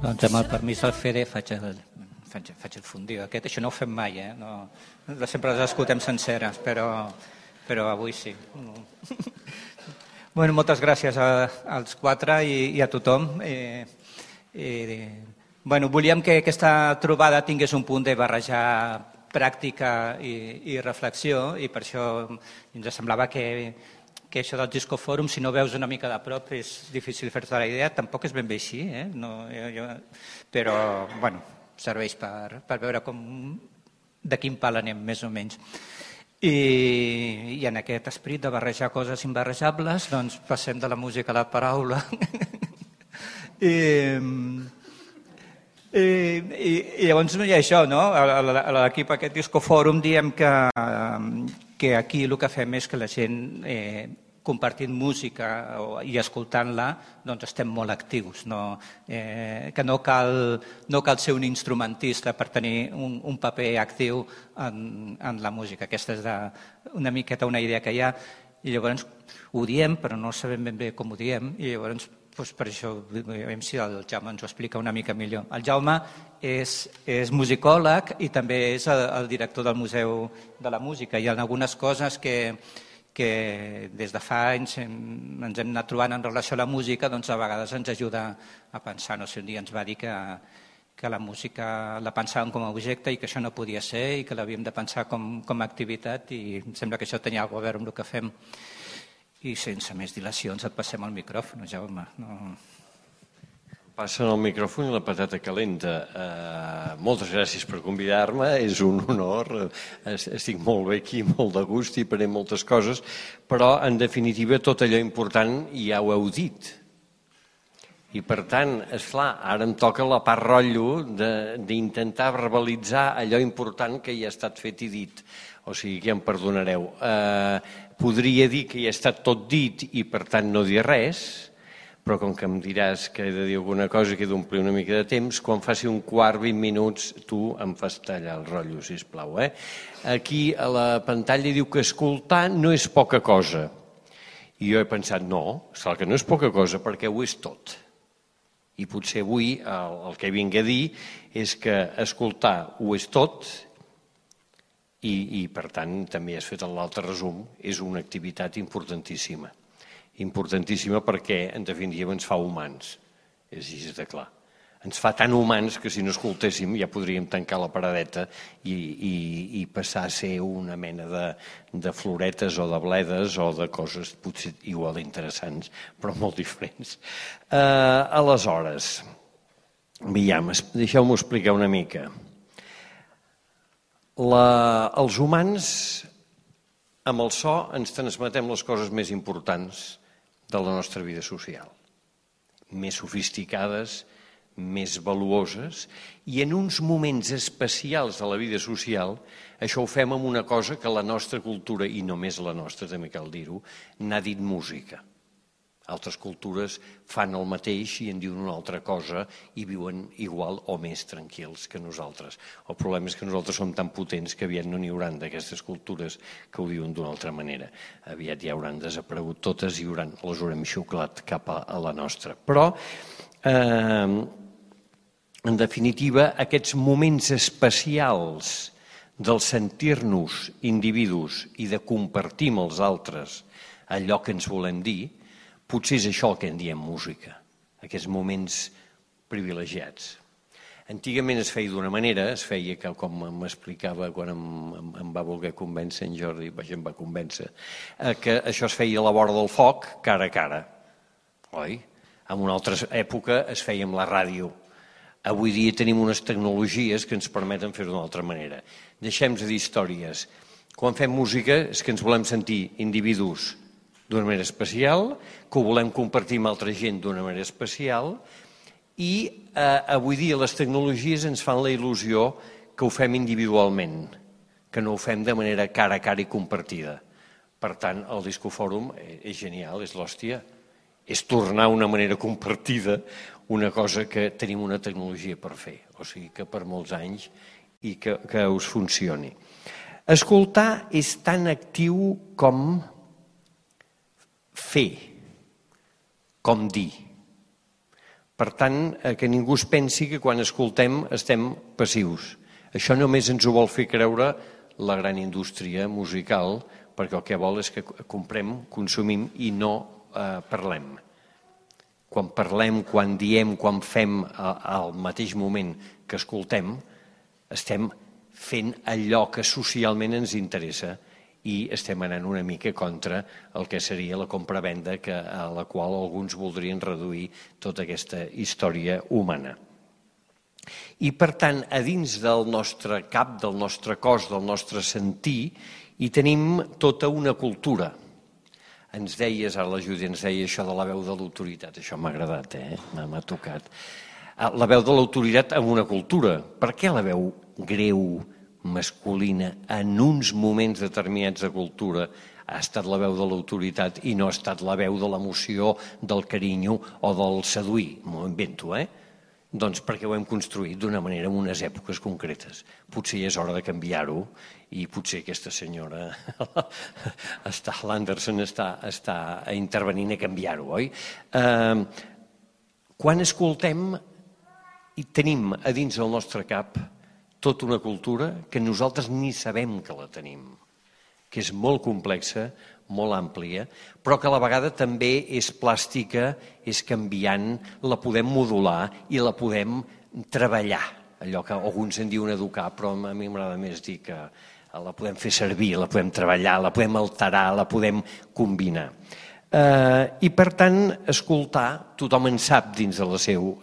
Doncs amb el permís del Fede faig el fundiu aquest. Això no ho fem mai, no, sempre les escoltem senceres, però avui sí. Bueno, moltes gràcies als quatre i a tothom. Bueno, volíem que aquesta trobada tingués un punt de barrejar pràctica i reflexió, i per això ens semblava que això del Discofòrum, si no veus una mica de prop, és difícil fer-te la idea. Tampoc és ben bé així, però bueno, serveix per veure de quin pal anem, més o menys. I en aquest esperit de barrejar coses imbarrejables, doncs passem de la música a la paraula. I llavors hi ha això, no? A l'equip aquest Discofòrum diem que aquí el que fem és que la gent, compartint música i escoltant-la, doncs estem molt actius, que no cal ser un instrumentista per tenir un paper actiu en la música. Aquesta és una miqueta una idea que hi ha, i llavors ho diem, però no sabem ben bé com ho diem, i llavors per això, veiem si el Jaume ens ho explica una mica millor. El Jaume és musicòleg i també és el director del Museu de la Música. Hi ha algunes coses que que des de fa anys ens hem anat trobant en relació a la música, doncs a vegades ens ajuda a pensar. No sé, un dia ens va dir que la música la pensàvem com a objecte i que això no podia ser i que l'havíem de pensar com a activitat, i em sembla que això tenia alguna cosa a veure amb el que fem. I sense més dilacions et passem el micròfon, Jaume. No... Passen el micròfon i la patata calenta. Moltes gràcies per convidar-me, és un honor, estic molt bé aquí, molt de gust i faré moltes coses, però en definitiva tot allò important ja ho heu dit. I per tant, esclar, ara em toca la part rotllo d'intentar verbalitzar allò important que ja ha estat fet i dit. O sigui que ja em perdonareu. Podria dir que ja ha estat tot dit i per tant no dir res, però com que em diràs que he de dir alguna cosa i que he d'omplir una mica de temps, quan faci un quart, 20 minuts, tu em fas tallar el rotllo, sisplau. Aquí a la pantalla diu que escoltar no és poca cosa. I jo he pensat, no, clar que no és poca cosa, perquè ho és tot. I potser avui el que vinc a dir és que escoltar ho és tot i per tant, també has fet l'altre resum, és una activitat importantíssima. Importantíssima perquè, en definitiva, ens fa humans. És així de clar. Ens fa tan humans que si no escoltéssim ja podríem tancar la paradeta i passar a ser una mena de floretes o de bledes o de coses potser igual interessants, però molt diferents. Aleshores, deixeu-m'ho explicar una mica. Els humans, amb el so, ens transmetem les coses més importants de la nostra vida social, més sofisticades, més valuoses, i en uns moments especials de la vida social això ho fem amb una cosa que la nostra cultura, i només la nostra, també cal dir-ho, n'ha dit música. Altres cultures fan el mateix i en diuen una altra cosa i viuen igual o més tranquils que nosaltres. El problema és que nosaltres som tan potents que aviat no n'hi hauran d'aquestes cultures que ho diuen d'una altra manera. Aviat ja hauran desaparegut totes i les haurem xuclat cap a la nostra. Però, en definitiva, aquests moments especials del sentir-nos individus i de compartir amb els altres allò que ens volem dir, potser és això el que en diem música, aquests moments privilegiats. Antigament es feia d'una manera, es feia que, com m'explicava quan em va voler convèncer en Jordi, em va convèncer, que això es feia a la vora del foc, cara a cara, oi? En una altra època es feia amb la ràdio. Avui dia tenim unes tecnologies que ens permeten fer-ho d'una altra manera. Deixem de dir històries. Quan fem música és que ens volem sentir individus d'una manera especial, que ho volem compartir amb altra gent d'una manera especial i avui dia les tecnologies ens fan la il·lusió que ho fem individualment, que no ho fem de manera cara a cara i compartida. Per tant, el Discofòrum és genial, és l'hòstia. És tornar a una manera compartida una cosa que tenim una tecnologia per fer. O sigui que per molts anys i que us funcioni. Escoltar és tan actiu com fer, com dir. Per tant, que ningú es pensi que quan escoltem estem passius. Això només ens ho vol fer creure la gran indústria musical, perquè el que vol és que comprem, consumim i no parlem. Quan parlem, quan diem, quan fem al mateix moment que escoltem, estem fent allò que socialment ens interessa i estem anant una mica contra el que seria la compra-venda a la qual alguns voldrien reduir tota aquesta història humana. I, per tant, a dins del nostre cap, del nostre cos, del nostre sentir, hi tenim tota una cultura. Ens deies, ara la Júlia ens deia això de la veu de l'autoritat, això m'ha agradat, m'ha tocat. La veu de l'autoritat en una cultura. Per què la veu greu, masculina, en uns moments determinats de cultura ha estat la veu de l'autoritat i no ha estat la veu de l'emoció, del carinyo o del seduir? M'ho invento, Doncs perquè ho hem construït d'una manera en unes èpoques concretes. Potser ja és hora de canviar-ho i potser aquesta senyora, l'Anderson, està intervenint a canviar-ho, oi? Quan escoltem i tenim a dins del nostre cap tota una cultura que nosaltres ni sabem que la tenim, que és molt complexa, molt àmplia, però que a la vegada també és plàstica, és canviant, la podem modular i la podem treballar. Allò que alguns en diuen educar, però a mi m'agrada més dir que la podem fer servir, la podem treballar, la podem alterar, la podem combinar. I, per tant, escoltar, tothom en sap dins del seu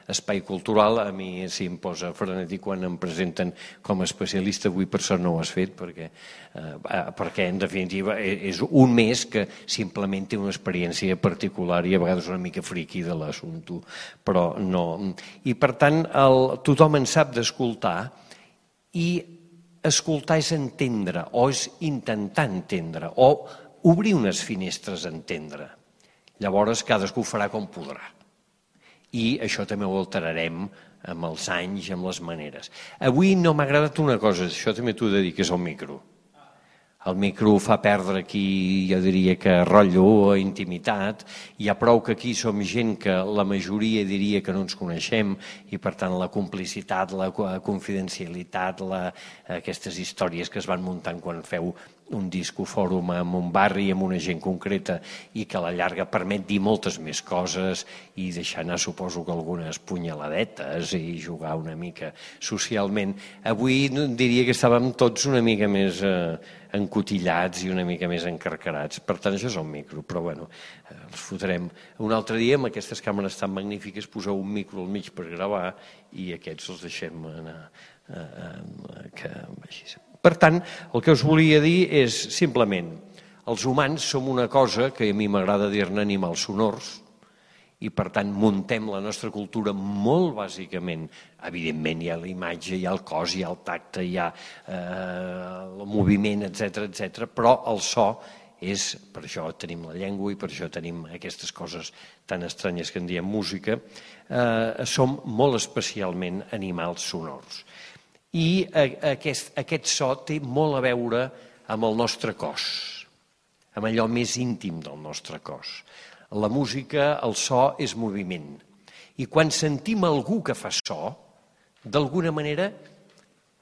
espai cultural. A mi si em posa frenètic quan em presenten com a especialista, avui per sort no ho has fet, perquè en definitiva és un mes que simplement té una experiència particular i a vegades una mica friqui de l'assumpte, però no. I, per tant, tothom en sap d'escoltar, i escoltar és entendre, o és intentar entendre, o obrir unes finestres a entendre. Llavors cadascú farà com podrà. I això també ho alterarem amb els anys, amb les maneres. Avui no m'ha agradat una cosa, això també t'ho he de dir, que és el micro. El micro fa perdre aquí, jo diria que rotllo, intimitat. Hi ha prou que aquí som gent que la majoria diria que no ens coneixem i per tant la complicitat, la confidencialitat, aquestes històries que es van muntant quan feu un discofòrum en un barri amb una gent concreta i que a la llarga permet dir moltes més coses i deixar anar, suposo que algunes punyaladetes i jugar una mica socialment. Avui diria que estàvem tots una mica més encotillats i una mica més encarcarats. Per tant, això és el micro, però bueno, els fotrem un altre dia amb aquestes càmeres tan magnífiques, poseu un micro al mig per gravar i aquests els deixem anar que vagis. Per tant, el que us volia dir és simplement, els humans som una cosa que a mi m'agrada dir-ne animals sonors, i per tant muntem la nostra cultura molt bàsicament. Evidentment hi ha la imatge, hi ha el cos, hi ha el tacte, hi ha el moviment, etc. Però el so és, per això tenim la llengua i per això tenim aquestes coses tan estranyes que en diem música, som molt especialment animals sonors. I aquest so té molt a veure amb el nostre cos, amb allò més íntim del nostre cos. La música, el so, és moviment. I quan sentim algú que fa so, d'alguna manera,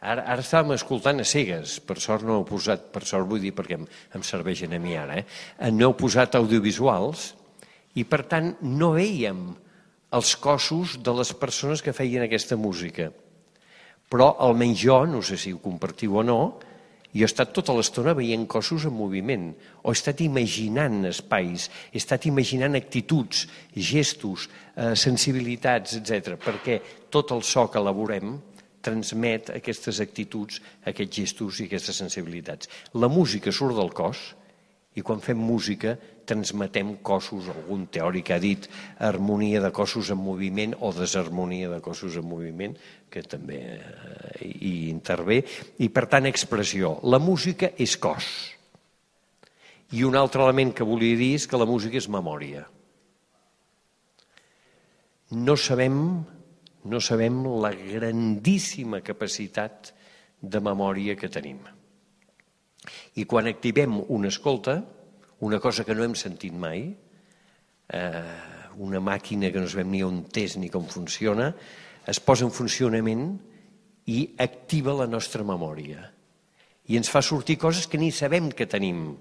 ara estàvem escoltant a cegues, per sort no heu posat, per sort vull dir perquè em serveixen a mi ara, no heu posat audiovisuals i per tant no veiem els cossos de les persones que feien aquesta música. Però almenys jo, no sé si ho compartiu o no, jo he estat tota l'estona veient cossos en moviment, o he estat imaginant espais, he estat imaginant actituds, gestos, sensibilitats, etc. Perquè tot el so que elaborem transmet aquestes actituds, aquests gestos i aquestes sensibilitats. La música surt del cos i quan fem música transmetem cossos, algun teòric ha dit harmonia de cossos en moviment o desharmonia de cossos en moviment, que també hi intervé, i per tant expressió. La música és cos. I un altre element que volia dir és que la música és memòria. No sabem la grandíssima capacitat de memòria que tenim. I quan activem una escolta, una cosa que no hem sentit mai, una màquina que no sabem ni on és ni com funciona, es posa en funcionament i activa la nostra memòria. I ens fa sortir coses que ni sabem que tenim,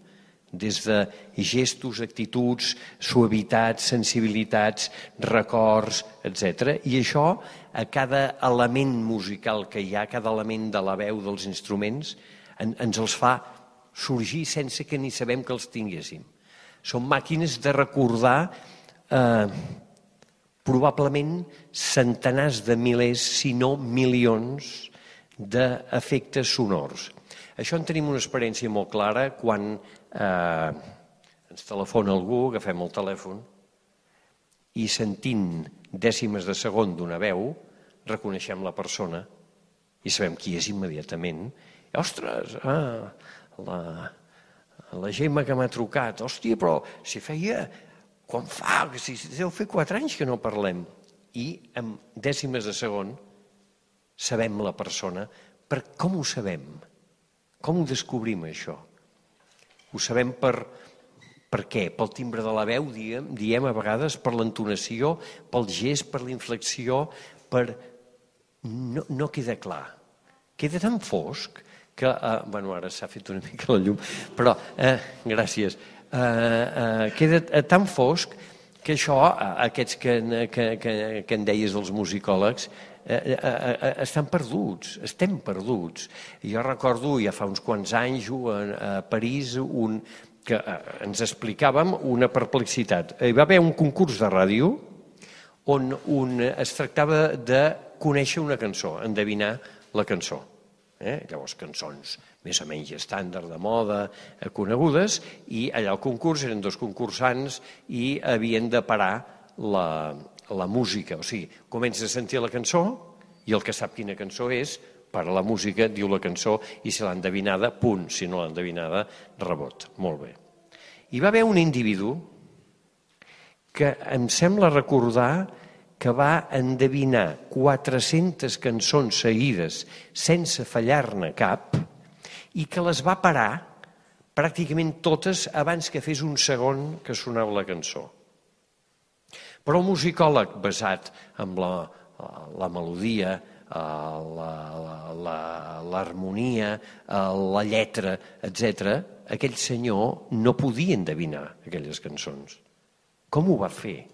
des de gestos, actituds, suavitats, sensibilitats, records, etc. I això, a cada element musical que hi ha, cada element de la veu dels instruments, ens els fa sorgir sense que ni sabem que els tinguéssim. Són màquines de recordar probablement centenars de milers, si no milions, d'efectes sonors. Això en tenim una experiència molt clara quan ens telefona algú, agafem el telèfon i sentint dècimes de segon d'una veu reconeixem la persona i sabem qui és immediatament. Ostres, la Gemma que m'ha trucat, hòstia, però si feia, quan fa, si deu fer 4 anys que no parlem. I en dècimes de segon sabem la persona. Com ho sabem? Com ho descobrim, això? Ho sabem per què? Pel timbre de la veu, diem a vegades, per l'entonació, pel gest, per la inflexió, no queda clar. Queda tan fosc que, bueno, ara s'ha fet una mica la llum, però, gràcies, queda tan fosc que això, aquests que en deies els musicòlegs, estan perduts, estem perduts. Jo recordo, ja fa uns quants anys, a París, que ens explicàvem una perplexitat. Hi va haver un concurs de ràdio on es tractava de conèixer una cançó, endevinar la cançó. Llavors, cançons més o menys estàndard, de moda, conegudes, i allà al concurs eren dos concursants i havien de parar la música. O sigui, comença a sentir la cançó i el que sap quina cançó és, para la música, diu la cançó, i si l'ha endevinada, punt. Si no l'ha endevinada, rebot. Molt bé. Hi va haver un individu que em sembla recordar que va endevinar 400 cançons seguides sense fallar-ne cap i que les va parar pràcticament totes abans que fes un segon que sonava la cançó. Però el musicòleg, basat en la melodia, l'harmonia, la lletra, etc., aquell senyor no podia endevinar aquelles cançons. Com ho va fer?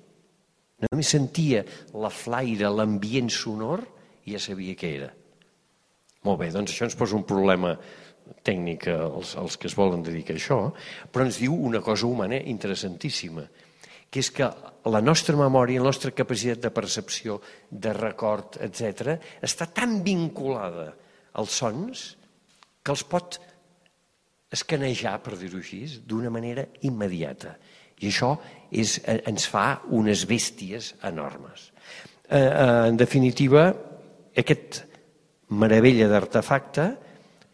Només sentia la flaire, l'ambient sonor i ja sabia què era. Molt bé, doncs això ens posa un problema tècnic als que es volen dedicar a això, però ens diu una cosa humana interessantíssima, que és que la nostra memòria, la nostra capacitat de percepció, de record, etc., està tan vinculada als sons que els pot escanejar, per dir-ho així, d'una manera immediata. I això ens fa unes bèsties enormes. En definitiva, aquest meravella d'artefacte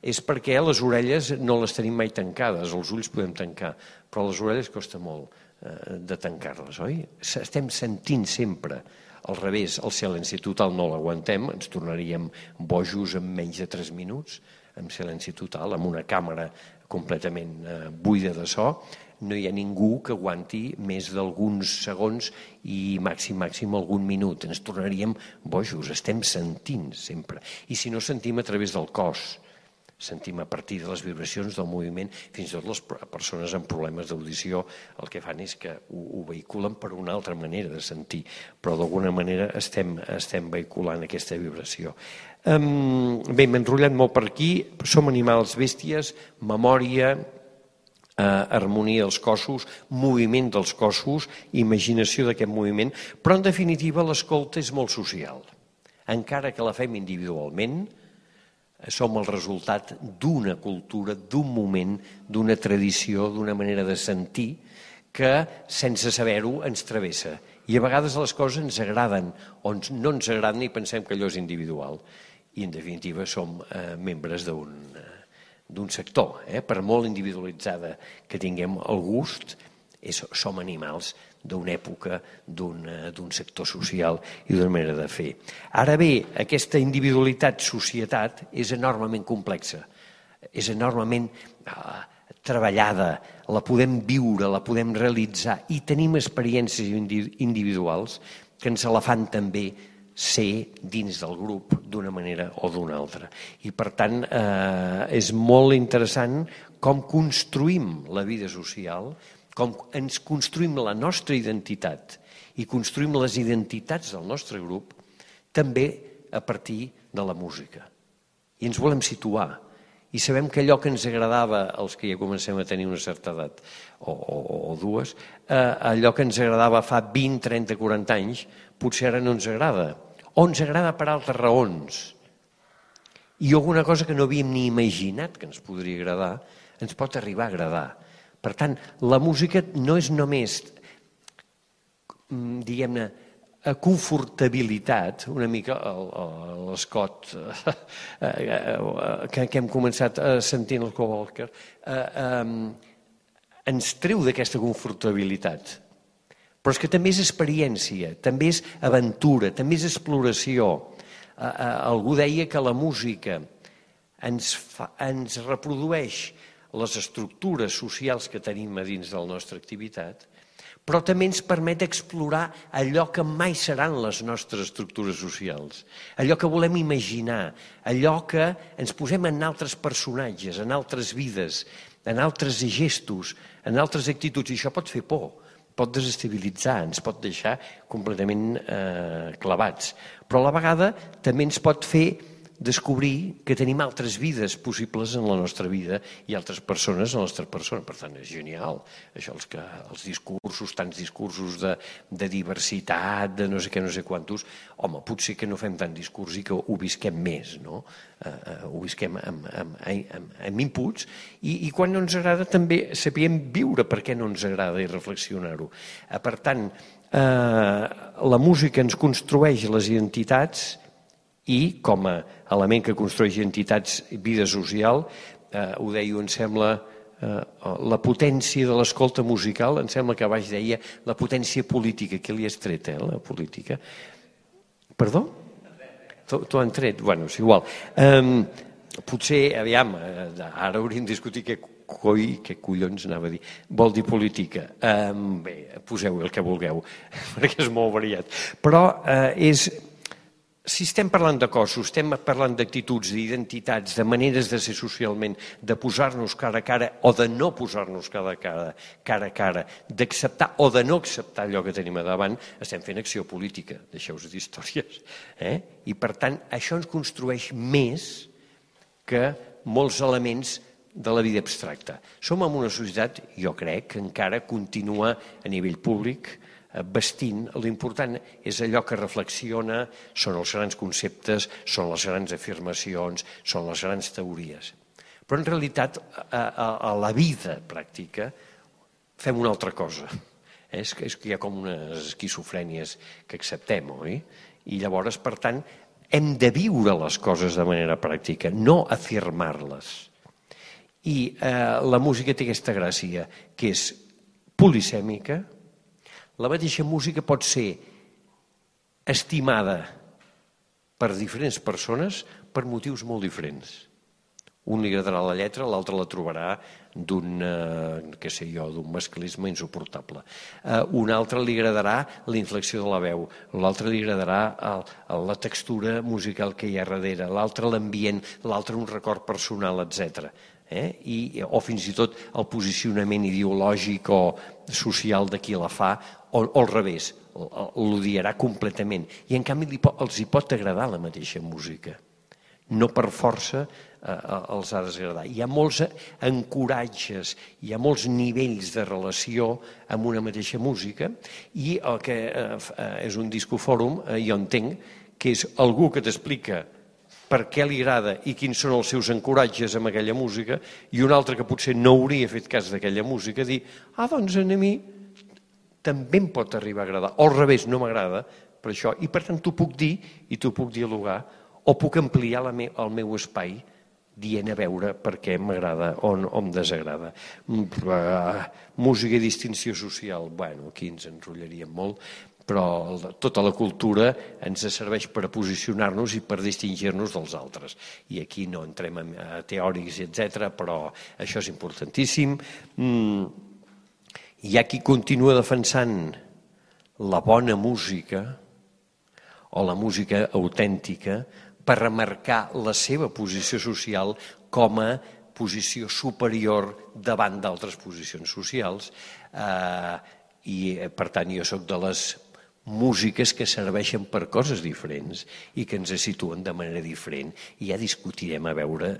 és perquè les orelles no les tenim mai tancades, els ulls podem tancar, però les orelles costa molt de tancar-les, oi? Estem sentint sempre al revés, el silenci total no l'aguantem, ens tornaríem bojos en menys de 3 minuts, amb silenci total, amb una càmera completament buida de so, no hi ha ningú que aguanti més d'alguns segons i màxim algun minut. Ens tornaríem bojos, estem sentint sempre. I si no sentim a través del cos, sentim a partir de les vibracions del moviment, fins i tot les persones amb problemes d'audició el que fan és que ho vehiculen per una altra manera de sentir, però d'alguna manera estem vehiculant aquesta vibració. Bé, m'he enrotllat molt per aquí, som animals bèsties, memòria, harmonia dels cossos, moviment dels cossos, imaginació d'aquest moviment, però en definitiva l'escolta és molt social. Encara que la fem individualment, som el resultat d'una cultura, d'un moment, d'una tradició, d'una manera de sentir que sense saber-ho ens travessa. I a vegades les coses ens agraden o no ens agraden i pensem que allò és individual. I en definitiva som membres d'un sector. Per molt individualitzada que tinguem el gust, som animals d'una època, d'un sector social i d'una manera de fer. Ara bé, aquesta individualitat-societat és enormement complexa, és enormement treballada, la podem viure, la podem realitzar i tenim experiències individuals que ens la fan també ser dins del grup d'una manera o d'una altra. I per tant és molt interessant com construïm la vida social, com ens construïm la nostra identitat i construïm les identitats del nostre grup també a partir de la música. I ens volem situar. I sabem que allò que ens agradava als que ja comencem a tenir una certa edat, o dues, allò que ens agradava fa 20, 30, 40 anys, potser ara no ens agrada. O ens agrada per altres raons. I alguna cosa que no havíem ni imaginat que ens podria agradar, ens pot arribar a agradar. Per tant, la música no és només, diguem-ne, confortabilitat, una mica l'escot que hem començat sentint el Walker, ens treu d'aquesta confortabilitat. Però és que també és experiència, també és aventura, també és exploració. Algú deia que la música ens reprodueix les estructures socials que tenim a dins de la nostra activitat, però també ens permet explorar allò que mai seran les nostres estructures socials, allò que volem imaginar, allò que ens posem en altres personatges, en altres vides, en altres gestos, en altres actituds, i això pot fer por, pot desestabilitzar, ens pot deixar completament clavats, però a la vegada també ens pot fer descobrir que tenim altres vides possibles en la nostra vida i altres persones en la nostra persona. Per tant, és genial. Això, els discursos, tants discursos de diversitat, de no sé què, no sé quantos, home, potser que no fem tant discurs i que ho visquem més, no? Ho visquem amb inputs i quan no ens agrada també sapiem viure per què no ens agrada i reflexionar-ho. Per tant, la música ens construeix les identitats i com a element que construeix entitats i vida social, ho deia, em sembla, la potència de l'escolta musical, em sembla que baix deia la potència política, que li has tret, la política. Perdó? T'ho han tret? Bueno, és igual. Potser, aviam, ara hauríem de discutir què collons anava a dir, vol dir política. Bé, poseu el que vulgueu, perquè és molt variat. Però si estem parlant de cossos, estem parlant d'actituds, d'identitats, de maneres de ser socialment, de posar-nos cara a cara o de no posar-nos cara a cara, d'acceptar o de no acceptar allò que tenim a davant, estem fent acció política, deixeu-vos d'històries. I per tant, això ens construeix més que molts elements de la vida abstracta. Som en una societat, jo crec, que encara continua a nivell públic vestint, l'important és allò que reflexiona, són els grans conceptes, són les grans afirmacions, són les grans teories. Però en realitat a la vida pràctica fem una altra cosa. És que hi ha com unes esquizofrènies que acceptem, oi? I llavors, per tant, hem de viure les coses de manera pràctica, no afirmar-les. I la música té aquesta gràcia, que és polisèmica. La mateixa música pot ser estimada per diferents persones per motius molt diferents. Un li agradarà la lletra, l'altre la trobarà d'un masclisme insuportable. Un altre li agradarà la inflexió de la veu, l'altre li agradarà la textura musical que hi ha darrere, l'altre l'ambient, l'altre un record personal, etc. O fins i tot el posicionament ideològic o social de qui la fa, o al revés, l'odiarà completament. I en canvi els hi pot agradar la mateixa música. No per força els ha de desagradar. Hi ha molts ancoratges, hi ha molts nivells de relació amb una mateixa música i el que és un discofòrum, jo entenc, que és algú que t'explica per què li agrada i quins són els seus ancoratges amb aquella música, i un altre que potser no hauria fet cas d'aquella música, dir, doncs a mi també em pot arribar a agradar, o al revés, no m'agrada, per això, i per tant t'ho puc dir i t'ho puc dialogar, o puc ampliar el meu espai dient a veure per què m'agrada o em desagrada. Música i distinció social, bueno, aquí ens enrotllaríem molt, però tota la cultura ens serveix per posicionar-nos i per distingir-nos dels altres. I aquí no entrem a teòrics, etc., però això és importantíssim. Hi ha qui continua defensant la bona música o la música autèntica per remarcar la seva posició social com a posició superior davant d'altres posicions socials. I, per tant, jo soc de les músiques que serveixen per coses diferents i que ens situen de manera diferent, i ja discutirem a veure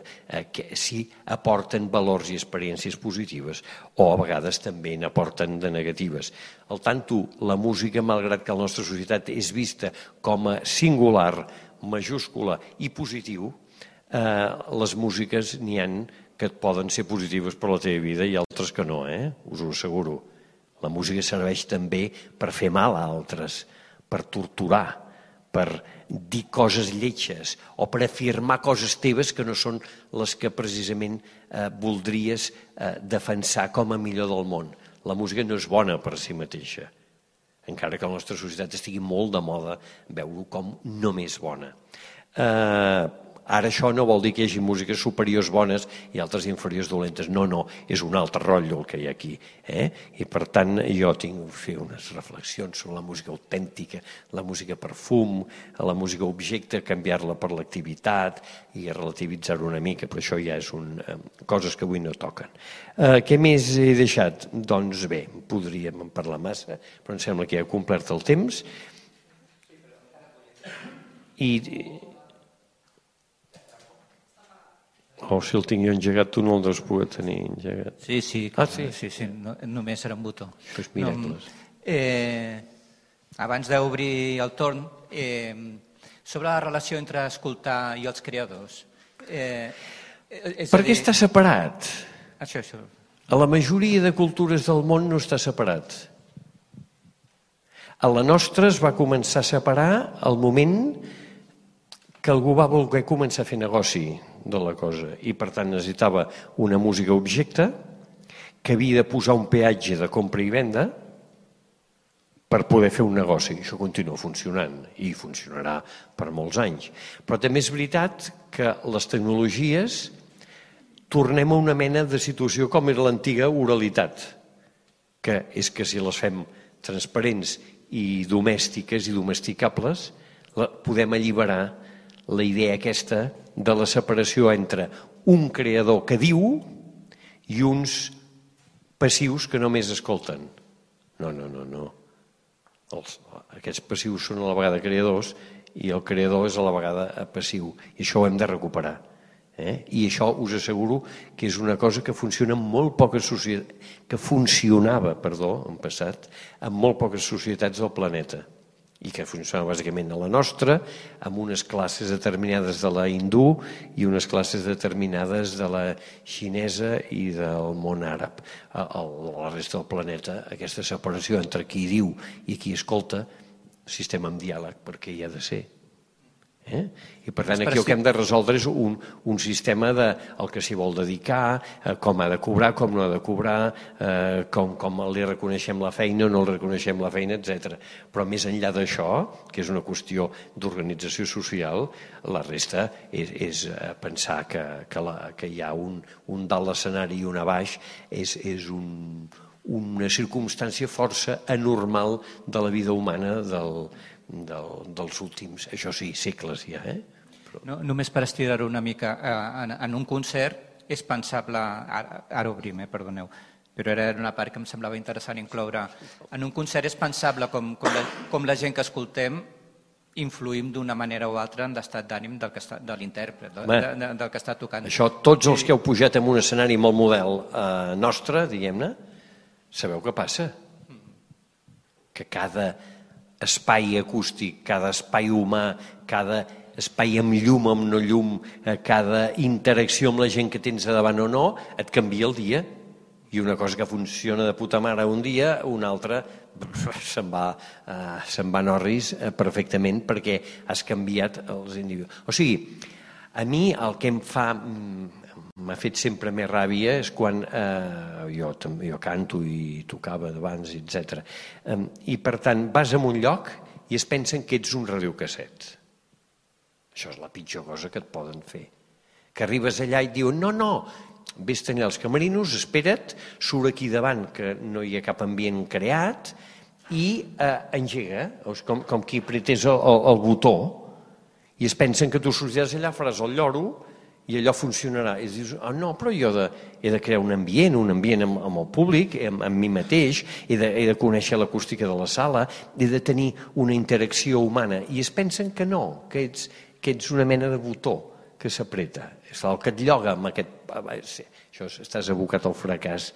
si aporten valors i experiències positives o a vegades també n'aporten de negatives. Al tanto, la música, malgrat que la nostra societat és vista com a singular, majúscula i positiu, les músiques n'hi ha que poden ser positives per la teva vida i altres que no, us ho asseguro. La música serveix també per fer mal a altres, per torturar, per dir coses lletges o per afirmar coses teves que no són les que precisament voldries defensar com a millor del món. La música no és bona per si mateixa, encara que la nostra societat estigui molt de moda veure-ho com només bona. Ara això no vol dir que hi hagi músiques superiors bones i altres inferiors dolentes. No, és un altre rotllo el que hi ha aquí. I per tant jo tinc que fer unes reflexions sobre la música autèntica, la música perfum, la música objecte, canviar-la per l'activitat i relativitzar-ho una mica, però això ja és coses que avui no toquen. Què més he deixat? Doncs bé, podríem parlar massa, però em sembla que ja he complert el temps. Si el tinc jo engegat, tu no el deus poder tenir engegat. Sí. Només era un botó. Doncs miracles. Abans d'obrir el torn, sobre la relació entre escoltar i els creadors. Per què està separat? Això. A la majoria de cultures del món no està separat. A la nostra es va començar a separar al moment que algú va voler començar a fer negoci de la cosa i per tant necessitava una música objecte que havia de posar un peatge de compra i venda per poder fer un negoci. Això continua funcionant i funcionarà per molts anys. Però també és veritat que les tecnologies tornem a una mena de situació com era l'antiga oralitat, que és que si les fem transparents i domèstiques i domesticables, podem alliberar la idea aquesta de la separació entre un creador que diu i uns passius que només escolten. No. Aquests passius són a la vegada creadors i el creador és a la vegada passiu. I això ho hem de recuperar. I això us asseguro que és una cosa que funciona en molt poques societats, que funcionava, en passat, en molt poques societats del planeta i que funciona bàsicament a la nostra, amb unes classes determinades de la hindú i unes classes determinades de la xinesa i del món àrab. A la resta del planeta, aquesta separació entre qui diu i qui escolta, sistema amb diàleg, perquè hi ha de ser. I per tant aquí el que hem de resoldre és un sistema del que s'hi vol dedicar, com ha de cobrar, com no ha de cobrar, com li reconeixem la feina o no li reconeixem la feina, etc. Però més enllà d'això, que és una qüestió d'organització social, la resta és pensar que hi ha un dalt l'escenari i un a baix, és una circumstància força anormal de la vida humana dels últims, això sí, segles ja. Només per estirar-ho una mica, en un concert és pensable, ara obrim, perdoneu, però era una part que em semblava interessant incloure, en un concert és pensable com la gent que escoltem influïm d'una manera o altra en l'estat d'ànim de l'intèrpret, del que està tocant. Això, tots els que heu pujat en un escenari amb el model nostre, diguem-ne, sabeu què passa? Que cada espai acústic, cada espai humà, cada espai amb llum, amb no llum, cada interacció amb la gent que tens a davant o no, et canvia el dia. I una cosa que funciona de puta mare un dia, una altra se'n va a Norris perfectament perquè has canviat els individus. O sigui, a mi el que m'ha fet sempre més ràbia és quan jo canto i tocava d'abans, etc. I per tant vas a un lloc i es pensen que ets un radiocasset. Això és la pitjor cosa que et poden fer. Que arribes allà i et diuen no, vés tenir els camerinos, espera't, surt aquí davant que no hi ha cap ambient creat i engega, com qui apretés el botó i es pensen que tu sortiràs allà, faràs el lloro i allò funcionarà. I dius, no, però jo he de crear un ambient amb el públic, amb mi mateix, he de conèixer l'acústica de la sala, he de tenir una interacció humana. I es pensen que no, que ets una mena de botó que s'apreta. És el que et lloga amb aquest... Això estàs abocat al fracàs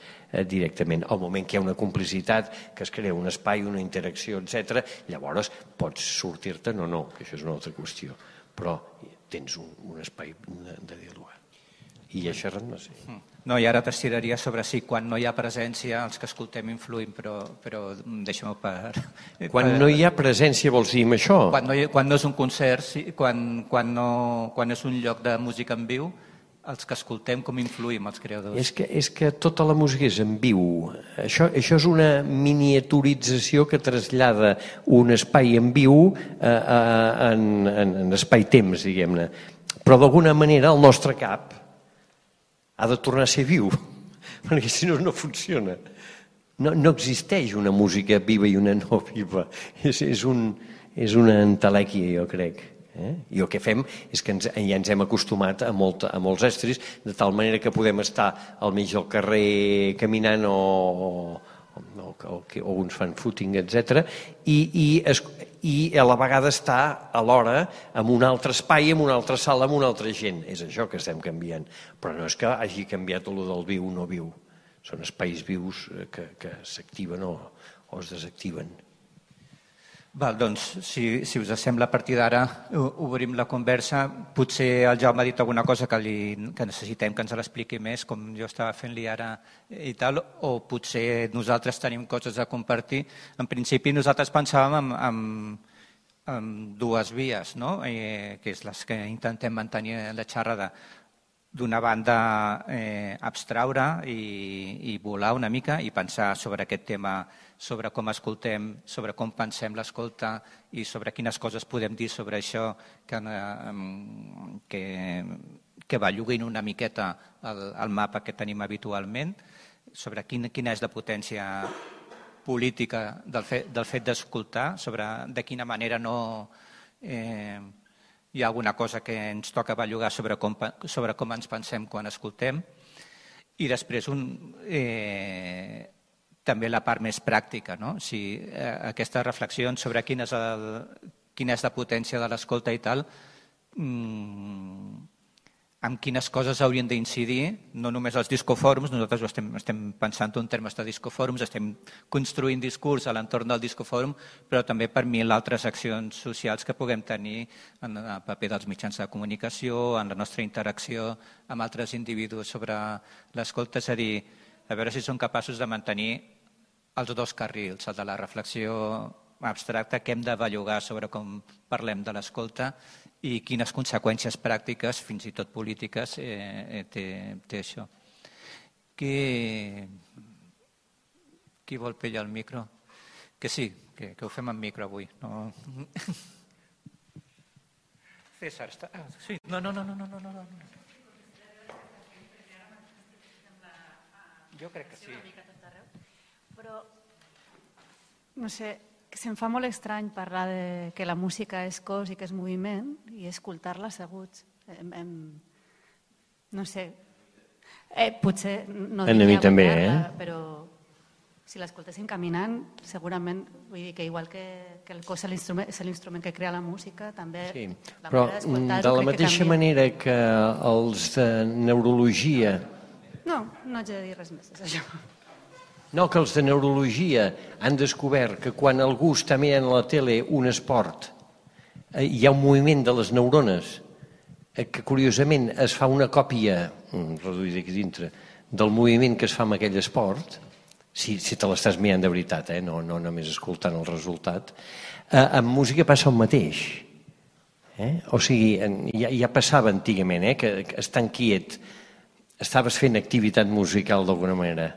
directament. Al moment que hi ha una complicitat, que es crea un espai, una interacció, etc., llavors pots sortir-te, no, que això és una altra qüestió. Però tens un espai de dialogar. I ja xerrant, no sé. No, i ara t'estiraria sobre si quan no hi ha presència els que escoltem influïm, però deixa'm-ho per... Quan no hi ha presència vols dir amb això? Quan no és un concert, quan és un lloc de música en viu, els que escoltem com influïm els creadors? És que tota la música és en viu. Això és una miniaturització que trasllada un espai en viu en espai-temps, diguem-ne. però d'alguna manera el nostre cap ha de tornar a ser viu, perquè si no, no funciona. No existeix una música viva i una no viva. És una entelèquia, jo crec. I el que fem és que ja ens hem acostumat a molts estris, de tal manera que podem estar al mig del carrer caminant o uns fan footing, etc. I a la vegada estar alhora en un altre espai, en una altra sala, amb una altra gent. És això que estem canviant. Però no és que hagi canviat el del viu o no viu. Són espais vius que s'activen o es desactiven. Val, doncs, si us sembla, a partir d'ara obrim la conversa. Potser el Jaume ha dit alguna cosa que necessitem que ens l'expliqui més, com jo estava fent-li ara i tal, o potser nosaltres tenim coses a compartir. En principi nosaltres pensàvem en dues vies, no? Que és les que intentem mantenir la xerrada. D'una banda, abstraure i volar una mica i pensar sobre aquest tema, sobre com escoltem, sobre com pensem l'escolta i sobre quines coses podem dir sobre això que belluguin una miqueta el mapa que tenim habitualment, sobre quina és la potència política del fet d'escoltar, sobre de quina manera no... hi ha alguna cosa que ens toca bellugar sobre com ens pensem quan escoltem. I després també la part més pràctica, no? Aquestes reflexions sobre quina és la potència de l'escolta i tal, amb quines coses haurien d'incidir, no només els discofòrums, nosaltres estem pensant en termes de discofòrums, estem construint discurs a l'entorn del discofòrum, però també per mil altres accions socials que puguem tenir en el paper dels mitjans de comunicació, en la nostra interacció amb altres individus sobre l'escolta, és a dir, a veure si som capaços de mantenir els dos carrils, el de la reflexió abstracta, que hem de bellugar sobre com parlem de l'escolta i quines conseqüències pràctiques, fins i tot polítiques, té això. Qui vol pillar el micro? Que sí, que ho fem amb micro avui. César, està... Sí, no. Jo crec que sí. Però, no sé, se'm fa molt estrany parlar de que la música és cos i que és moviment i escoltar-la asseguts. No sé, potser no diria guanyar-la, però si l'escoltéssim caminant, segurament, vull dir que igual que el cos és l'instrument que crea la música, també la manera d'escoltar-ho crec que canvia. De la mateixa manera que els de neurologia... No haig de dir res més, és això. No, que els de neurologia han descobert que quan algú està mirant a la tele un esport hi ha un moviment de les neurones que curiosament es fa una còpia reduïda aquí dintre del moviment que es fa amb aquell esport, si te l'estàs mirant de veritat, no només escoltant el resultat. Amb música passa el mateix. O sigui, ja passava antigament que estant quiet estaves fent activitat musical d'alguna manera.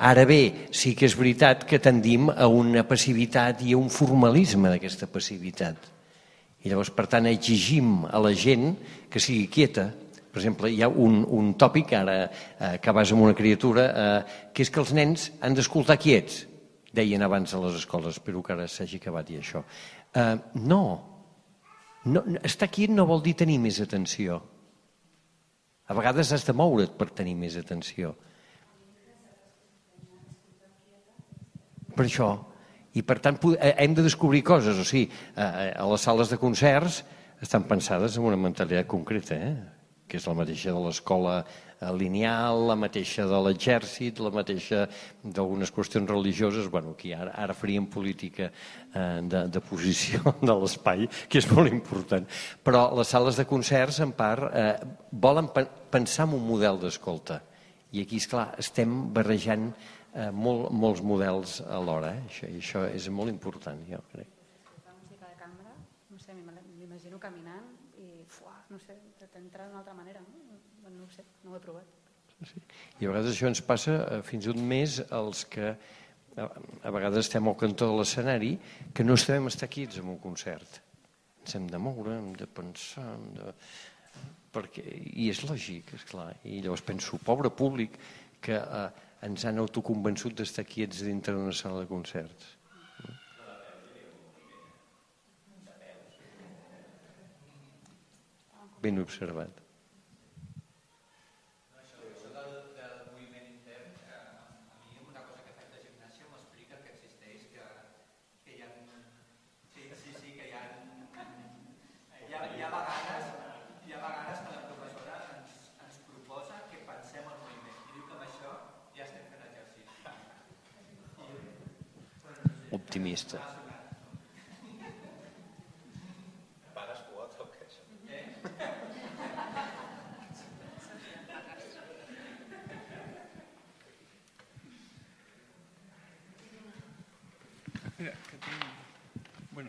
Ara bé, sí que és veritat que tendim a una passivitat i a un formalisme d'aquesta passivitat. I llavors, per tant, exigim a la gent que sigui quieta. Per exemple, hi ha un tòpic, ara que vas amb una criatura, que és que els nens han d'escoltar quiets. Deien abans a les escoles, espero que ara s'hagi acabat i això. No, estar quiet no vol dir tenir més atenció. A vegades has de moure't per tenir més atenció. Per això. I per tant hem de descobrir coses. O sigui, a les sales de concerts estan pensades en una mentalitat concreta, que és la mateixa de l'escola lineal, la mateixa de l'exèrcit, la mateixa d'algunes qüestions religioses. Bueno, aquí ara faríem política de posició de l'espai, que és molt important. Però les sales de concerts, en part, volen pensar en un model d'escolta. I aquí, esclar, estem barrejant molts models alhora. Això és molt important, jo crec. La música de cambra, no sé, m'imagino caminant i, no sé, t'entra d'una altra manera. No ho sé, no ho he provat. I a vegades això ens passa fins i tot més als que a vegades estem al cantó de l'escenari, que no sabem estar quiets en un concert. ens hem de moure, hem de pensar, i és lògic, esclar. I llavors penso, pobre públic, que ens han autoconvençut d'estar quiets dintre d'una sala de concerts. Ben observat. Optimista.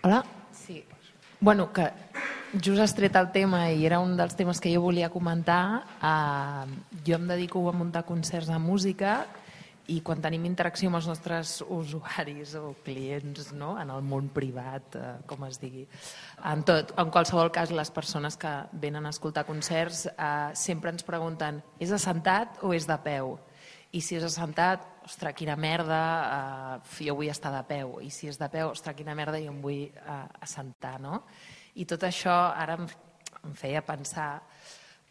Hola? Sí. Bueno, que just has tret el tema i era un dels temes que jo volia comentar. Jo em dedico a muntar concerts de música i quan tenim interacció amb els nostres usuaris o clients, no? En el món privat, com es digui, en qualsevol cas les persones que venen a escoltar concerts sempre ens pregunten, és assentat o és de peu? I si és assentat, ostres, quina merda, jo vull estar de peu. I si és de peu, ostres, quina merda, jo em vull assentar, no? I tot això ara em feia pensar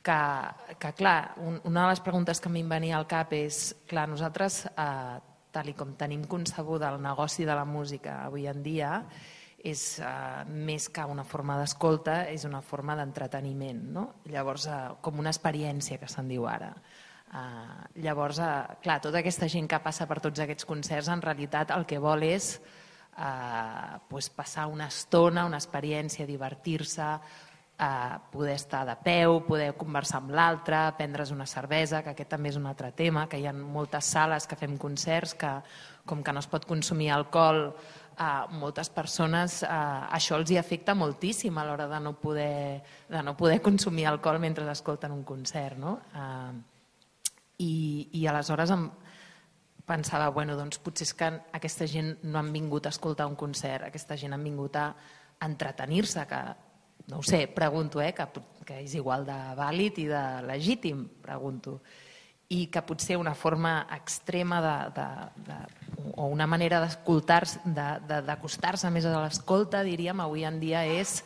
que clar, una de les preguntes que a mi em venia al cap és, clar, nosaltres, tal com tenim concebuda el negoci de la música avui en dia, és més que una forma d'escolta, és una forma d'entreteniment, no? Llavors, com una experiència que se'n diu ara. Llavors, clar, tota aquesta gent que passa per tots aquests concerts, en realitat el que vol és passar una estona, una experiència, divertir-se, poder estar de peu, poder conversar amb l'altre, prendre's una cervesa, que aquest també és un altre tema, que hi ha moltes sales que fem concerts que, com que no es pot consumir alcohol, moltes persones això els hi afecta moltíssim a l'hora de no poder consumir alcohol mentre escolten un concert, no? I aleshores em pensava, bueno, doncs potser és que aquesta gent no han vingut a escoltar un concert, aquesta gent han vingut a entretenir-se, que no ho sé, pregunto, que és igual de vàlid i de legítim, pregunto, i que potser una forma extrema o una manera d'acostar-se més a l'escolta, diríem, avui en dia és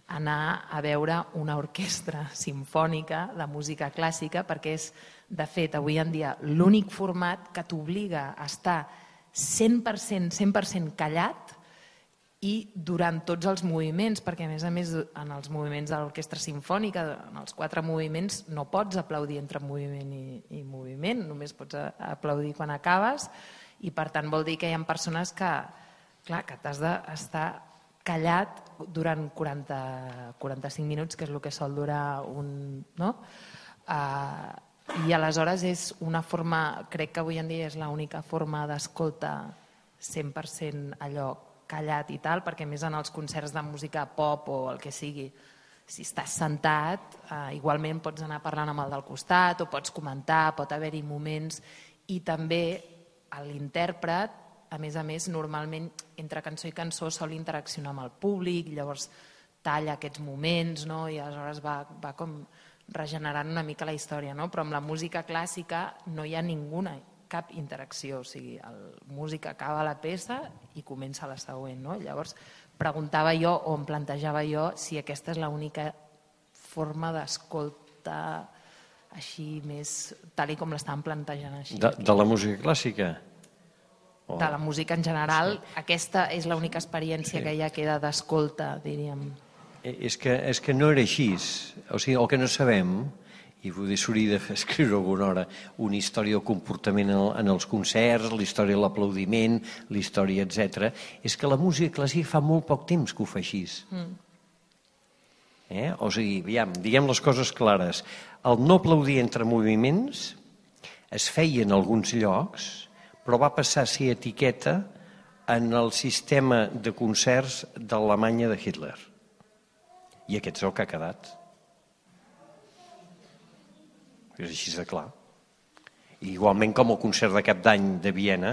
anar a veure una orquestra simfònica de música clàssica, perquè és, de fet, avui en dia l'únic format que t'obliga a estar 100% callat i durant tots els moviments, perquè a més en els moviments de l'orquestra simfònica, en els 4 moviments, no pots aplaudir entre moviment i moviment, només pots aplaudir quan acabes, i per tant vol dir que hi ha persones que t'has d'estar callat durant 45 minuts, que és el que sol durar un... I aleshores és una forma, crec que avui en dia és l'única forma d'escolta 100% allò callat i tal, perquè més en els concerts de música pop o el que sigui, si estàs sentat, igualment pots anar parlant amb el del costat o pots comentar, pot haver-hi moments, i també l'intèrpret, a més, normalment entre cançó i cançó sol interaccionar amb el públic, llavors talla aquests moments, no? I aleshores va com regenerant una mica la història, no? Però amb la música clàssica no hi ha cap interacció, o sigui, el músic acaba la peça i comença la següent, no? Llavors preguntava jo o em plantejava jo si aquesta és l'única forma d'escolta així més tal com l'estàvem plantejant així. De la música clàssica? De la música en general, aquesta és l'única experiència que ja queda d'escolta, diríem. És que no era així, o sigui, el que no sabem, i s'hauria d'escriure alguna hora una història del comportament en els concerts, la història de l'aplaudiment, la història, etc., és que la música clàssica fa molt poc temps que ho fa així. O sigui, diguem les coses clares. El no aplaudir entre moviments es feia en alguns llocs, però va passar a ser etiqueta en el sistema de concerts d'Alemanya de Hitler. I aquest és el que ha quedat. És així de clar. Igualment com el concert de Cap d'Any de Viena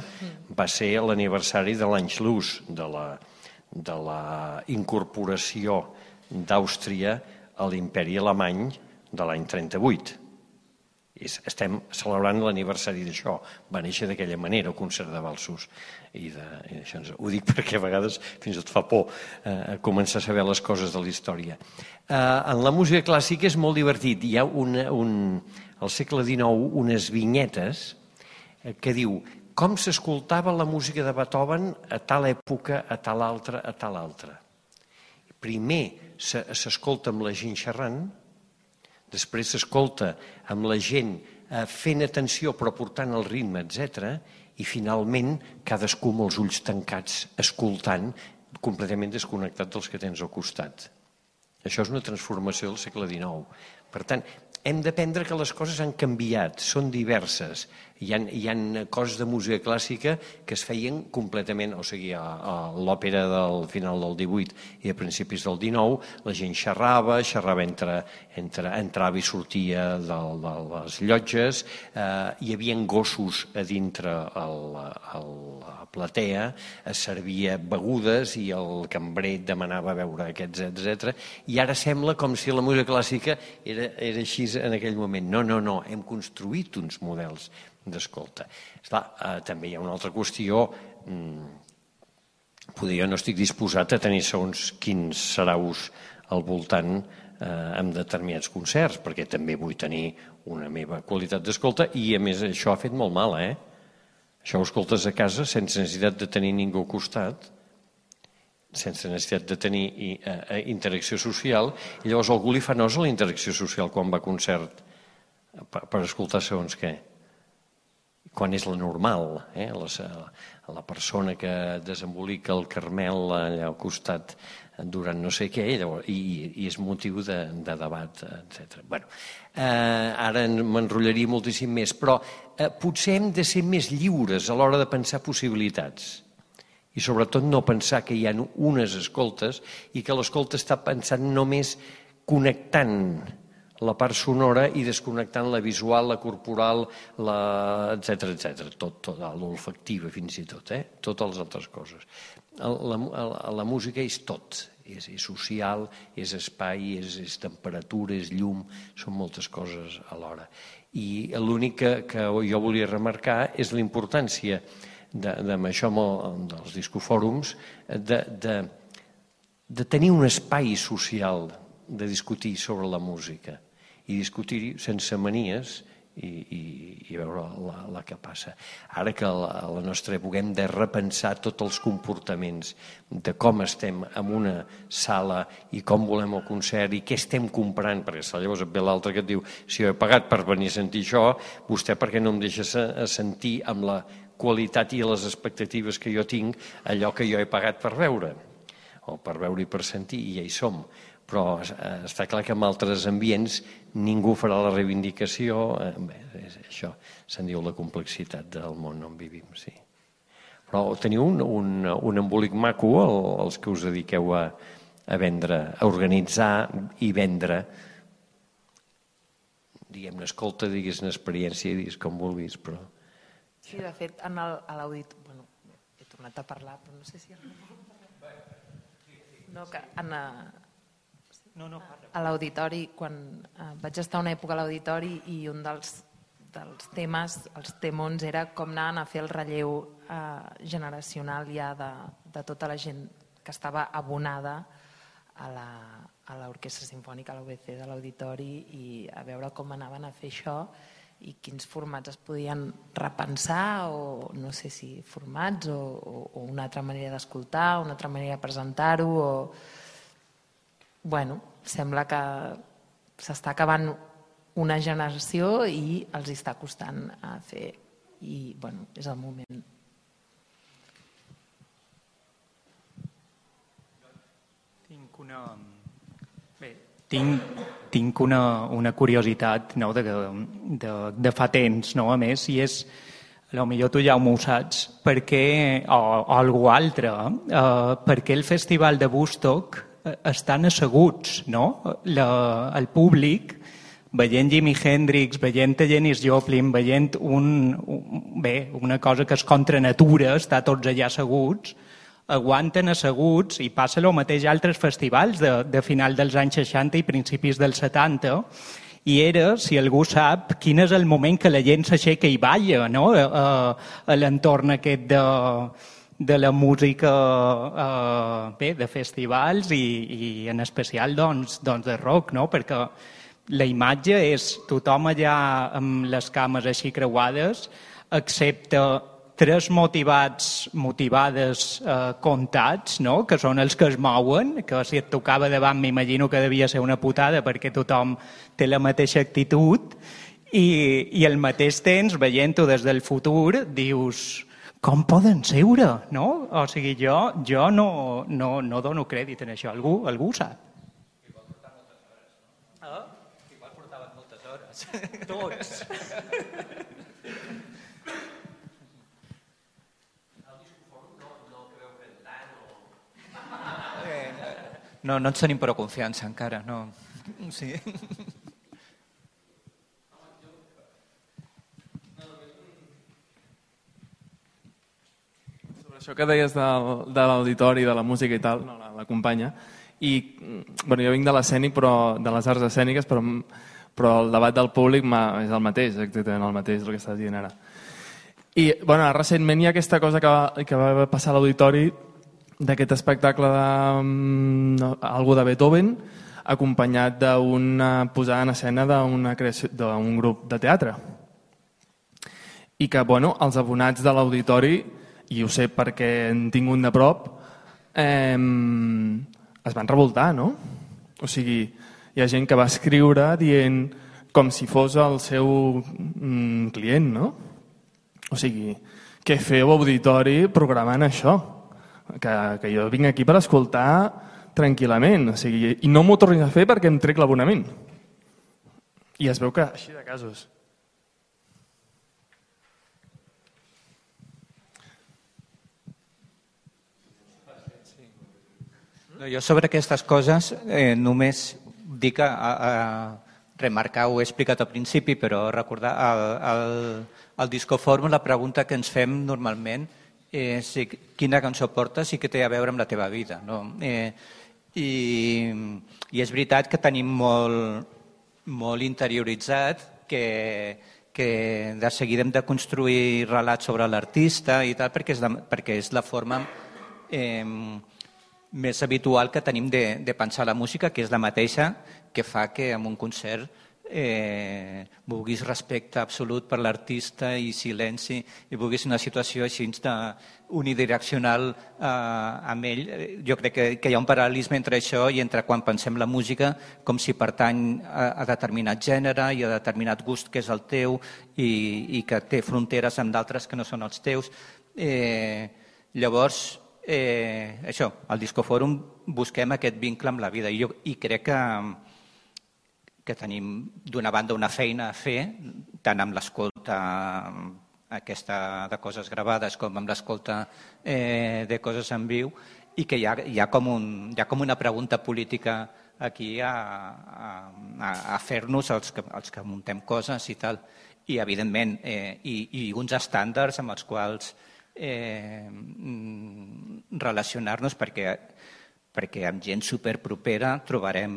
va ser l'aniversari de l'Anschluss, de la incorporació d'Àustria a l'imperi alemany de l'any 38. Estem celebrant l'aniversari d'això. Va néixer d'aquella manera el concert de valsos. I això ho dic perquè a vegades fins i tot fa por començar a saber les coses de la història. En la música clàssica és molt divertit. Hi ha al segle XIX unes vinyetes que diu com s'escoltava la música de Beethoven a tal època, a tal altra, a tal altra. Primer s'escolta amb la gent xerrant, després s'escolta amb la gent fent atenció però portant el ritme, etc. I finalment cadascú amb els ulls tancats escoltant, completament desconnectat dels que tens al costat. Això és una transformació del segle XIX. Per tant, hem d'aprendre que les coses han canviat, són diverses. Hi ha coses de música clàssica que es feien completament, o sigui, a l'òpera del final del 18 i a principis del 19, la gent xerrava entrava i sortia de les llotges, hi havia gossos a dintre la platea, es servia begudes i el cambrer demanava beure aquests, etc. I ara sembla com si la música clàssica era així en aquell moment. No, hem construït uns models d'escolta. També hi ha una altra qüestió, potser jo no estic disposat a tenir segons quins saraus al voltant en determinats concerts, perquè també vull tenir una meva qualitat d'escolta i a més això ha fet molt mal, Això ho escoltes a casa sense necessitat de tenir ningú al costat, sense necessitat de tenir interacció social, i llavors algú li fa nosa la interacció social quan va a concert per escoltar segons què. Quan és la normal, la persona que desembolica el Carmel allà al costat durant no sé què, i és motiu de debat, etc. Ara m'enrotllaria moltíssim més, però potser hem de ser més lliures a l'hora de pensar possibilitats i sobretot no pensar que hi ha unes escoltes i que l'escolta està pensant només connectant la part sonora i desconnectant la visual, la corporal, etc. Tot, l'olfactiva fins i tot, totes les altres coses. La música és tot, és social, és espai, és temperatura, és llum, són moltes coses alhora. I l'únic que jo volia remarcar és la importància amb això dels discofòrums de tenir un espai social de discutir sobre la música i discutir-hi sense manies i veure la que passa. Ara que a la nostra època hem de repensar tots els comportaments de com estem en una sala i com volem el concert i què estem comprant, perquè llavors et ve l'altre que et diu si jo he pagat per venir a sentir això, vostè per què no em deixa sentir amb la qualitat i les expectatives que jo tinc allò que jo he pagat per veure, o per veure i per sentir, i ja hi som. Però està clar que en altres ambients ningú farà la reivindicació. Això se'n diu la complexitat del món on vivim, sí. Però teniu un embolic maco, els que us dediqueu a vendre, a organitzar i vendre, diguem-ne, escolta, digues-ne experiència, digues com vulguis, però... Sí, de fet, a l'audit... Bueno, he tornat a parlar, però no sé si... No, que a l'auditori, quan vaig estar una època a l'auditori i un dels temes, els temons, era com anaven a fer el relleu generacional ja de tota la gent que estava abonada a l'Orquestra Simfònica, a l'UBC de l'auditori, i a veure com anaven a fer això i quins formats es podien repensar, o no sé si formats o una altra manera d'escoltar, una altra manera de presentar-ho, o... Bueno, sembla que s'està acabant una generació i els està costant a fer, i bueno, és el moment. Tinc una curiositat de fa temps, a més, i és, potser tu ja ho saps, o algú altre, per què el festival de Woodstock estan asseguts, el públic, veient Jimi Hendrix, veient Janis Joplin, veient una cosa que és contra natura, està tots allà asseguts, aguanten asseguts, i passa el mateix a altres festivals de final dels anys 60 i principis dels 70, i era, si algú sap, quin és el moment que la gent s'aixeca i balla, no? A l'entorn aquest de la música de festivals i en especial doncs de rock, no? Perquè la imatge és tothom allà amb les cames així creuades, excepte 3 motivades comptats, no? Que són els que es mouen, que si et tocava davant m'imagino que devia ser una putada perquè tothom té la mateixa actitud, i al mateix temps, veient-ho des del futur, dius, com poden seure? No? O sigui, jo no dono crèdit en això. Algú ho sap? Igual portaven moltes hores. Tots. No ens tenim prou confiança encara, no. Sí. Sobre això que deies de l'auditori, de la música i tal, no, la companya, i bueno, jo vinc de l'escènic, de les arts escèniques, però el debat del públic és el mateix, exactament el mateix el que estàs dient ara. I bueno, recentment hi ha aquesta cosa que va passar a l'auditori, d'aquest espectacle d'algú de Beethoven, acompanyat d'una posada en escena d'un grup de teatre. I que, bueno, els abonats de l'auditori, i ho sé perquè en tinc un de prop, es van revoltar, no? O sigui, hi ha gent que va escriure dient com si fos el seu client, no? O sigui, què feu auditori programant això? Que jo vinc aquí per escoltar tranquil·lament, o sigui, i no m'ho tornis a fer perquè em trec l'abonament. I es veu que així de casos. Jo sobre aquestes coses només dic remarcar, ho he explicat al principi, però recordar al Discofòrum la pregunta que ens fem normalment és quina cançó portes i què té a veure amb la teva vida. No? I és veritat que tenim molt interioritzat que de seguida hem de construir relats sobre l'artista i tal, perquè és la forma més habitual que tenim de pensar la música, que és la mateixa que fa que en un concert vulguis respecte absolut per l'artista i silenci, i vulguis una situació així unidireccional amb ell. Jo crec que hi ha un paral·lelisme entre això i entre quan pensem la música com si pertany a determinat gènere i a determinat gust que és el teu i que té fronteres amb d'altres que no són els teus. Llavors, això, al Discofòrum busquem aquest vincle amb la vida i crec que tenim d'una banda una feina a fer, tant amb l'escolta aquesta de coses gravades com amb l'escolta de coses en viu, i que hi ha com una pregunta política aquí a fer-nos els que muntem coses i tal. I, evidentment, i uns estàndards amb els quals relacionar-nos, perquè amb gent superpropera trobarem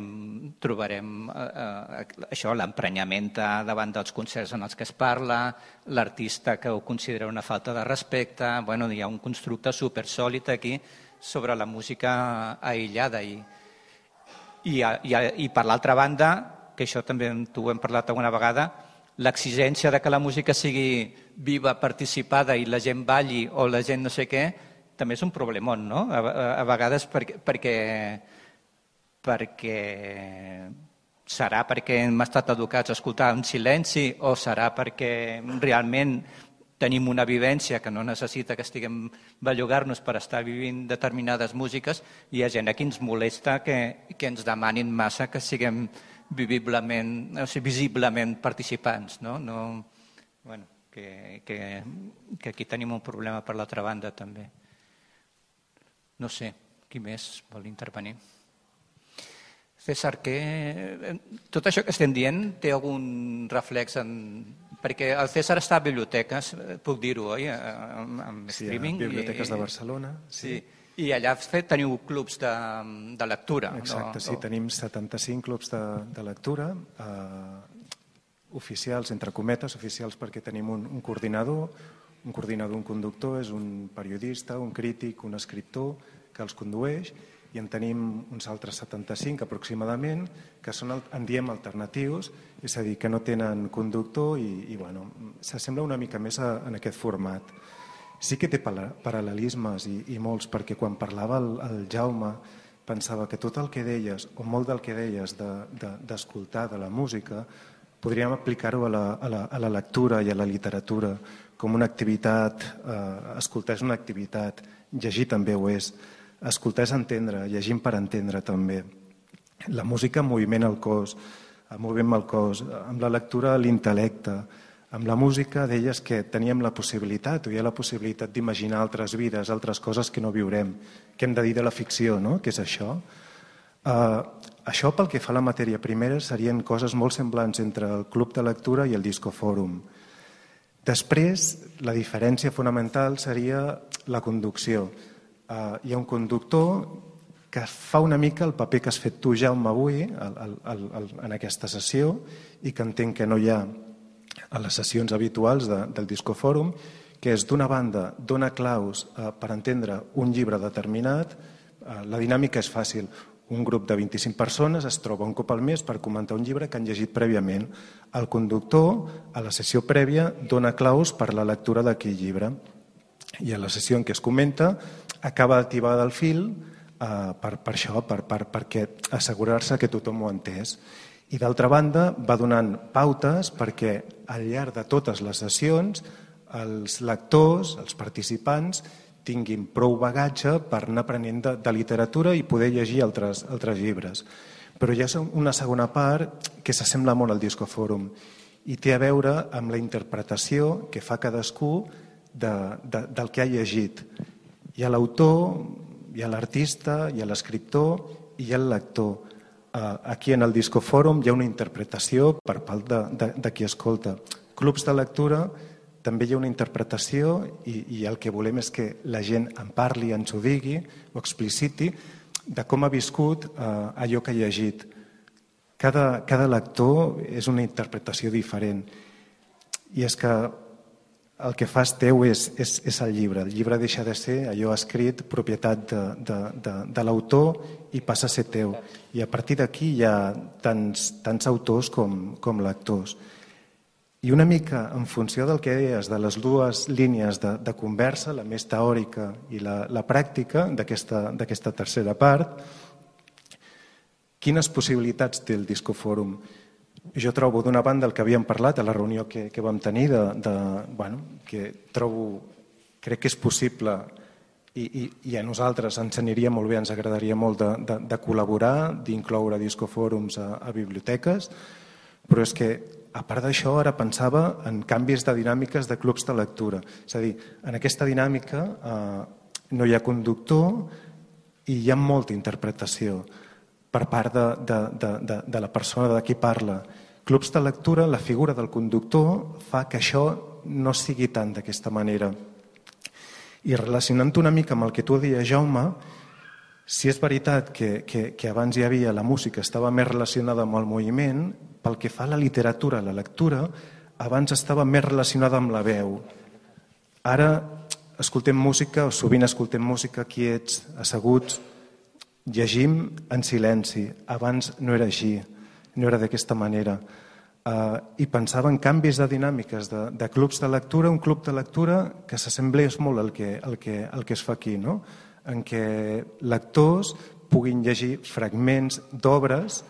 això, l'emprenyament davant dels concerts en els que es parla, l'artista que ho considera una falta de respecte. Bueno, hi ha un constructe supersòlid aquí sobre la música aïllada. I per l'altra banda, que això també tu hem parlat alguna vegada, l'exigència de que la música sigui viva, participada i la gent balli o la gent no sé què, també és un problemón, no? A vegades perquè serà perquè hem estat educats a escoltar en silenci o serà perquè realment tenim una vivència que no necessita que estiguem bellugar-nos per estar vivint determinades músiques, i hi ha gent a qui ens molesta que ens demanin massa que siguem visiblement participants, no? Bueno, que aquí tenim un problema per l'altra banda també. No sé, qui més vol intervenir? César, tot això que estem dient té algun reflex en Perquè el César està a biblioteques, puc dir-ho, oi? Amb streaming. Sí, a Biblioteques de Barcelona. Sí. I allà teniu clubs de lectura. Exacte, sí, tenim 75 clubs de lectura, oficials, entre cometes, oficials perquè tenim un coordinador, un conductor, és un periodista, un crític, un escriptor que els condueix, i en tenim uns altres 75 aproximadament, que són, en diem, alternatius, és a dir, que no tenen conductor i bueno, s'assembla una mica més en aquest format. Sí que té paral·lelismes i molts, perquè quan parlava el Jaume pensava que tot el que deies, o molt del que deies d'escoltar de la música, podríem aplicar-ho a la lectura i a la literatura com una activitat. Escoltar és una activitat, llegir també ho és. Escoltar és entendre, llegim per entendre també. La música moviment el cos, amb la lectura l'intel·lecte. Amb la música deies que teníem la possibilitat, o hi ha la possibilitat d'imaginar altres vides, altres coses que no viurem. Què hem de dir de la ficció, no? Què és això? Això, pel que fa a la matèria primera, serien coses molt semblants entre el club de lectura i el discofòrum. Després, la diferència fonamental seria la conducció. Hi ha un conductor que fa una mica el paper que has fet tu, Jaume, avui, en aquesta sessió, i que entenc que no hi ha a les sessions habituals del discofòrum, que és, d'una banda, dona claus per entendre un llibre determinat. La dinàmica és fàcil. Un grup de 25 persones es troba un cop al mes per comentar un llibre que han llegit prèviament. El conductor, a la sessió prèvia, dona claus per la lectura d'aquell llibre. I a la sessió en què es comenta, acaba d'activar el fil per això, perquè assegurar-se que tothom ho ha entès. I d'altra banda va donant pautes perquè al llarg de totes les sessions els lectors, els participants, tinguin prou bagatge per anar aprenent de literatura i poder llegir altres llibres. Però hi ha una segona part que s'assembla molt al discofòrum i té a veure amb la interpretació que fa cadascú del que ha llegit. Hi ha l'autor, hi ha l'artista, hi ha l'escriptor i hi ha el lector. Aquí en el discofòrum hi ha una interpretació per part de qui escolta. Clubs de lectura també hi ha una interpretació i el que volem és que la gent en parli, ens ho digui, ho expliciti, de com ha viscut allò que ha llegit. Cada lector és una interpretació diferent. I és que el que fas teu és el llibre. El llibre deixa de ser allò escrit, propietat de l'autor, i passa a ser teu. I a partir d'aquí hi ha tants autors com lectors. I una mica en funció del que deies de les dues línies de conversa, la més teòrica i la pràctica d'aquesta tercera part, quines possibilitats té el discofòrum? Jo trobo, d'una banda, el que havíem parlat a la reunió que vam tenir, que crec que és possible i a nosaltres ens aniria molt bé, ens agradaria molt de col·laborar, d'incloure discofòrums a biblioteques, però és que, a part d'això, ara pensava en canvis de dinàmiques de clubs de lectura. És a dir, en aquesta dinàmica no hi ha conductor i hi ha molta interpretació per part de la persona de qui parla. Clubs de lectura, la figura del conductor fa que això no sigui tant d'aquesta manera. I relacionant una mica amb el que tu deies, Jaume, si és veritat que abans hi havia la música, estava més relacionada amb el moviment, pel que fa a la literatura, a la lectura, abans estava més relacionada amb la veu. Ara escoltem música, o sovint escoltem música quiets, asseguts, llegim en silenci. Abans no era així, no era d'aquesta manera. I pensava en canvis de dinàmiques de clubs de lectura, un club de lectura que s'assemblés molt al que es fa aquí, no? En què lectors puguin llegir fragments d'obres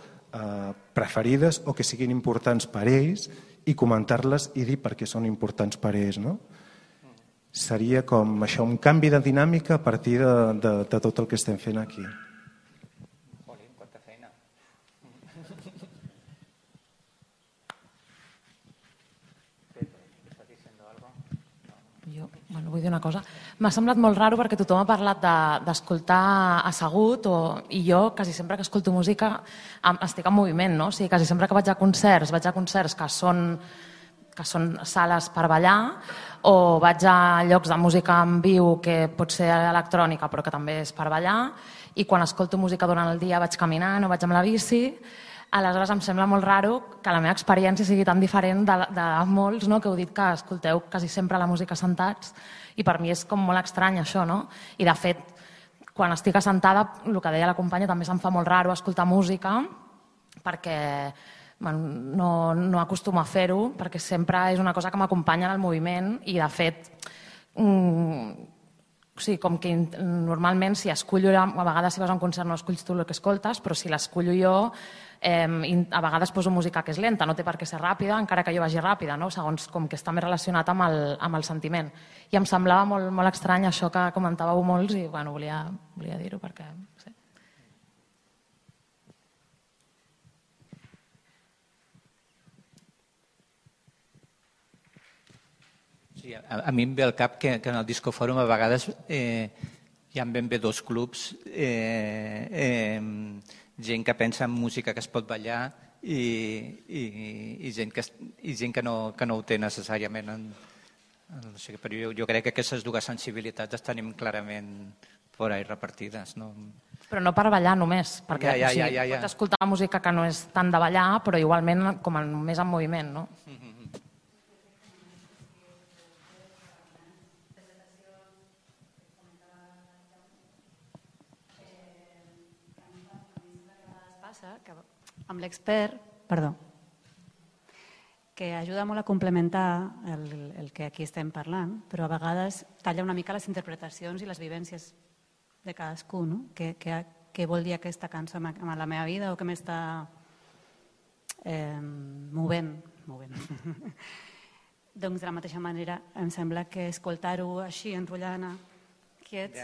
preferides o que siguin importants per ells i comentar-les i dir per què són importants per ells, no? Seria com això, un canvi de dinàmica a partir de tot el que estem fent aquí. Vull dir una cosa. M'ha semblat molt raro perquè tothom ha parlat d'escoltar assegut i jo quasi sempre que escolto música estic en moviment, no? O sigui, quasi sempre que vaig a concerts que que són sales per ballar, o vaig a llocs de música en viu que pot ser electrònica però que també és per ballar, i quan escolto música durant el dia vaig caminant o vaig amb la bici. Aleshores em sembla molt raro que la meva experiència sigui tan diferent de molts, no? Que heu dit que escolteu quasi sempre la música sentats, i per mi és com molt estrany això, no? I de fet, quan estic assentada, el que deia la companya, també se'm fa molt raro escoltar música, perquè no acostumo a fer-ho, perquè sempre és una cosa que m'acompanya en el moviment, i de fet, com que normalment si escullo, a vegades si vas a un concert no esculls tu el que escoltes, però si l'escullo jo, a vegades poso música que és lenta, no té per què ser ràpida, encara que jo vagi ràpida, no? Segons com que està més relacionat amb el sentiment. I em semblava molt estrany això que comentàveu molts, i bueno, volia dir-ho perquè... Sí. Sí, a mi em ve al cap que en el Disco Fòrum a vegades hi ha ben bé dos clubs, gent que pensa en música que es pot ballar i gent que no ho té necessàriament. No sé, però jo crec que aquestes dues sensibilitats les tenim clarament por ahí repartides. No? Però no per ballar només, perquè pots escoltar música que no és tant de ballar, però igualment com més en moviment, no? Que amb l'expert, que ajuda molt a complementar el que aquí estem parlant, però a vegades talla una mica les interpretacions i les vivències de cadascú, no? Què vol dir aquesta cançó amb la meva vida o què m'està movent. Doncs de la mateixa manera em sembla que escoltar-ho així, enrotllant quiets,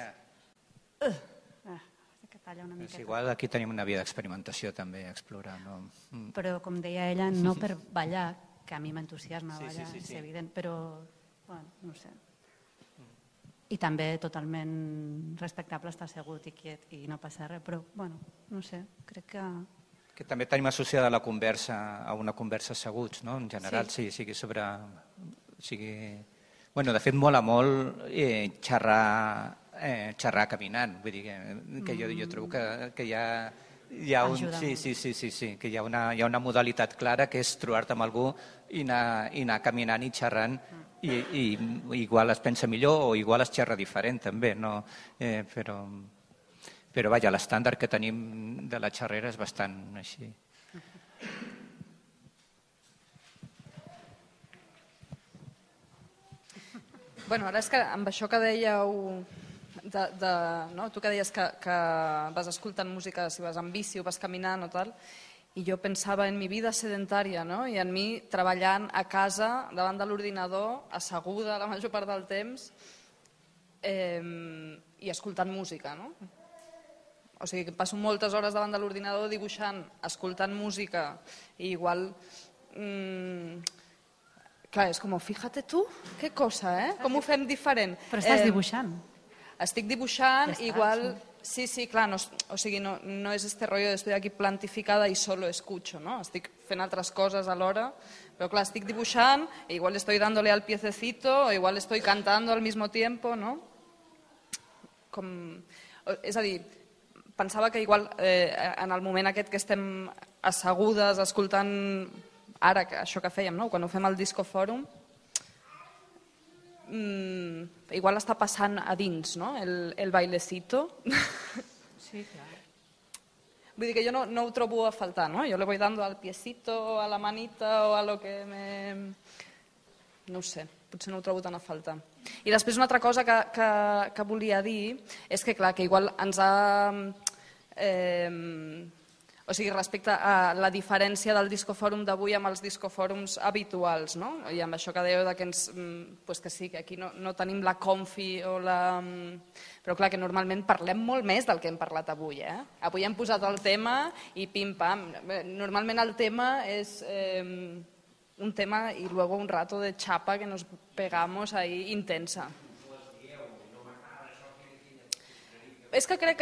és igual, aquí tenim una via d'experimentació també, explorar. Però, com deia ella, no per ballar, que a mi m'entusiasma ballar, és evident, però, no sé. I també totalment respectable estar assegut i quiet i no passa res, però, no sé, crec que... Que també tenim associada la conversa a una conversa asseguts, no? En general, sigui sobre... De fet, mola molt xerrar caminant, vull dir que jo trobo que hi ha que hi ha una modalitat clara que és trobar-te amb algú i anar caminant i xerrant i igual es pensa millor o igual es xerra diferent també, no? Però vaja, l'estàndard que tenim de la xerrera és bastant així. Ara és que amb això que dèieu, tu que deies que vas escoltant música si vas en bici o vas caminant o tal, i jo pensava en mi vida sedentària, no? I en mi treballant a casa davant de l'ordinador, asseguda la major part del temps i escoltant música, no? O sigui, que passo moltes hores davant de l'ordinador dibuixant, escoltant música, i igual... Clar, és com, fíjate tu, què cosa, com ho fem diferent. Però estàs dibuixant. Estic dibuixant, igual... Sí, clar, o sigui, no és este rollo de estoy aquí plantificada y solo escucho, no? Estic fent altres coses alhora, però clar, estic dibuixant, igual estoy dándole al piececito, o igual estoy cantando al mismo tiempo, no? És a dir, pensava que igual en el moment aquest que estem assegudes, escoltant ara això que fèiem, no? Quan ho fem al Disco Fòrum, igual està passant a dins, no? El bailecito. Sí, clar. Vull dir que jo no ho trobo a faltar, no? Jo le voy dando al piecito, a la manita o a lo que me... No ho sé, potser no ho trobo tan a faltar. I després una altra cosa que volia dir és que, clar, que igual ens ha... O sigui, respecte a la diferència del discofòrum d'avui amb els discofòrums habituals, no? I amb això que dèieu que sí, que aquí no tenim la confi o la... Però clar, que normalment parlem molt més del que hem parlat avui, Avui hem posat el tema i pim-pam. Normalment el tema és un tema y luego un rato de chapa que nos pegamos ahí intensa. És que crec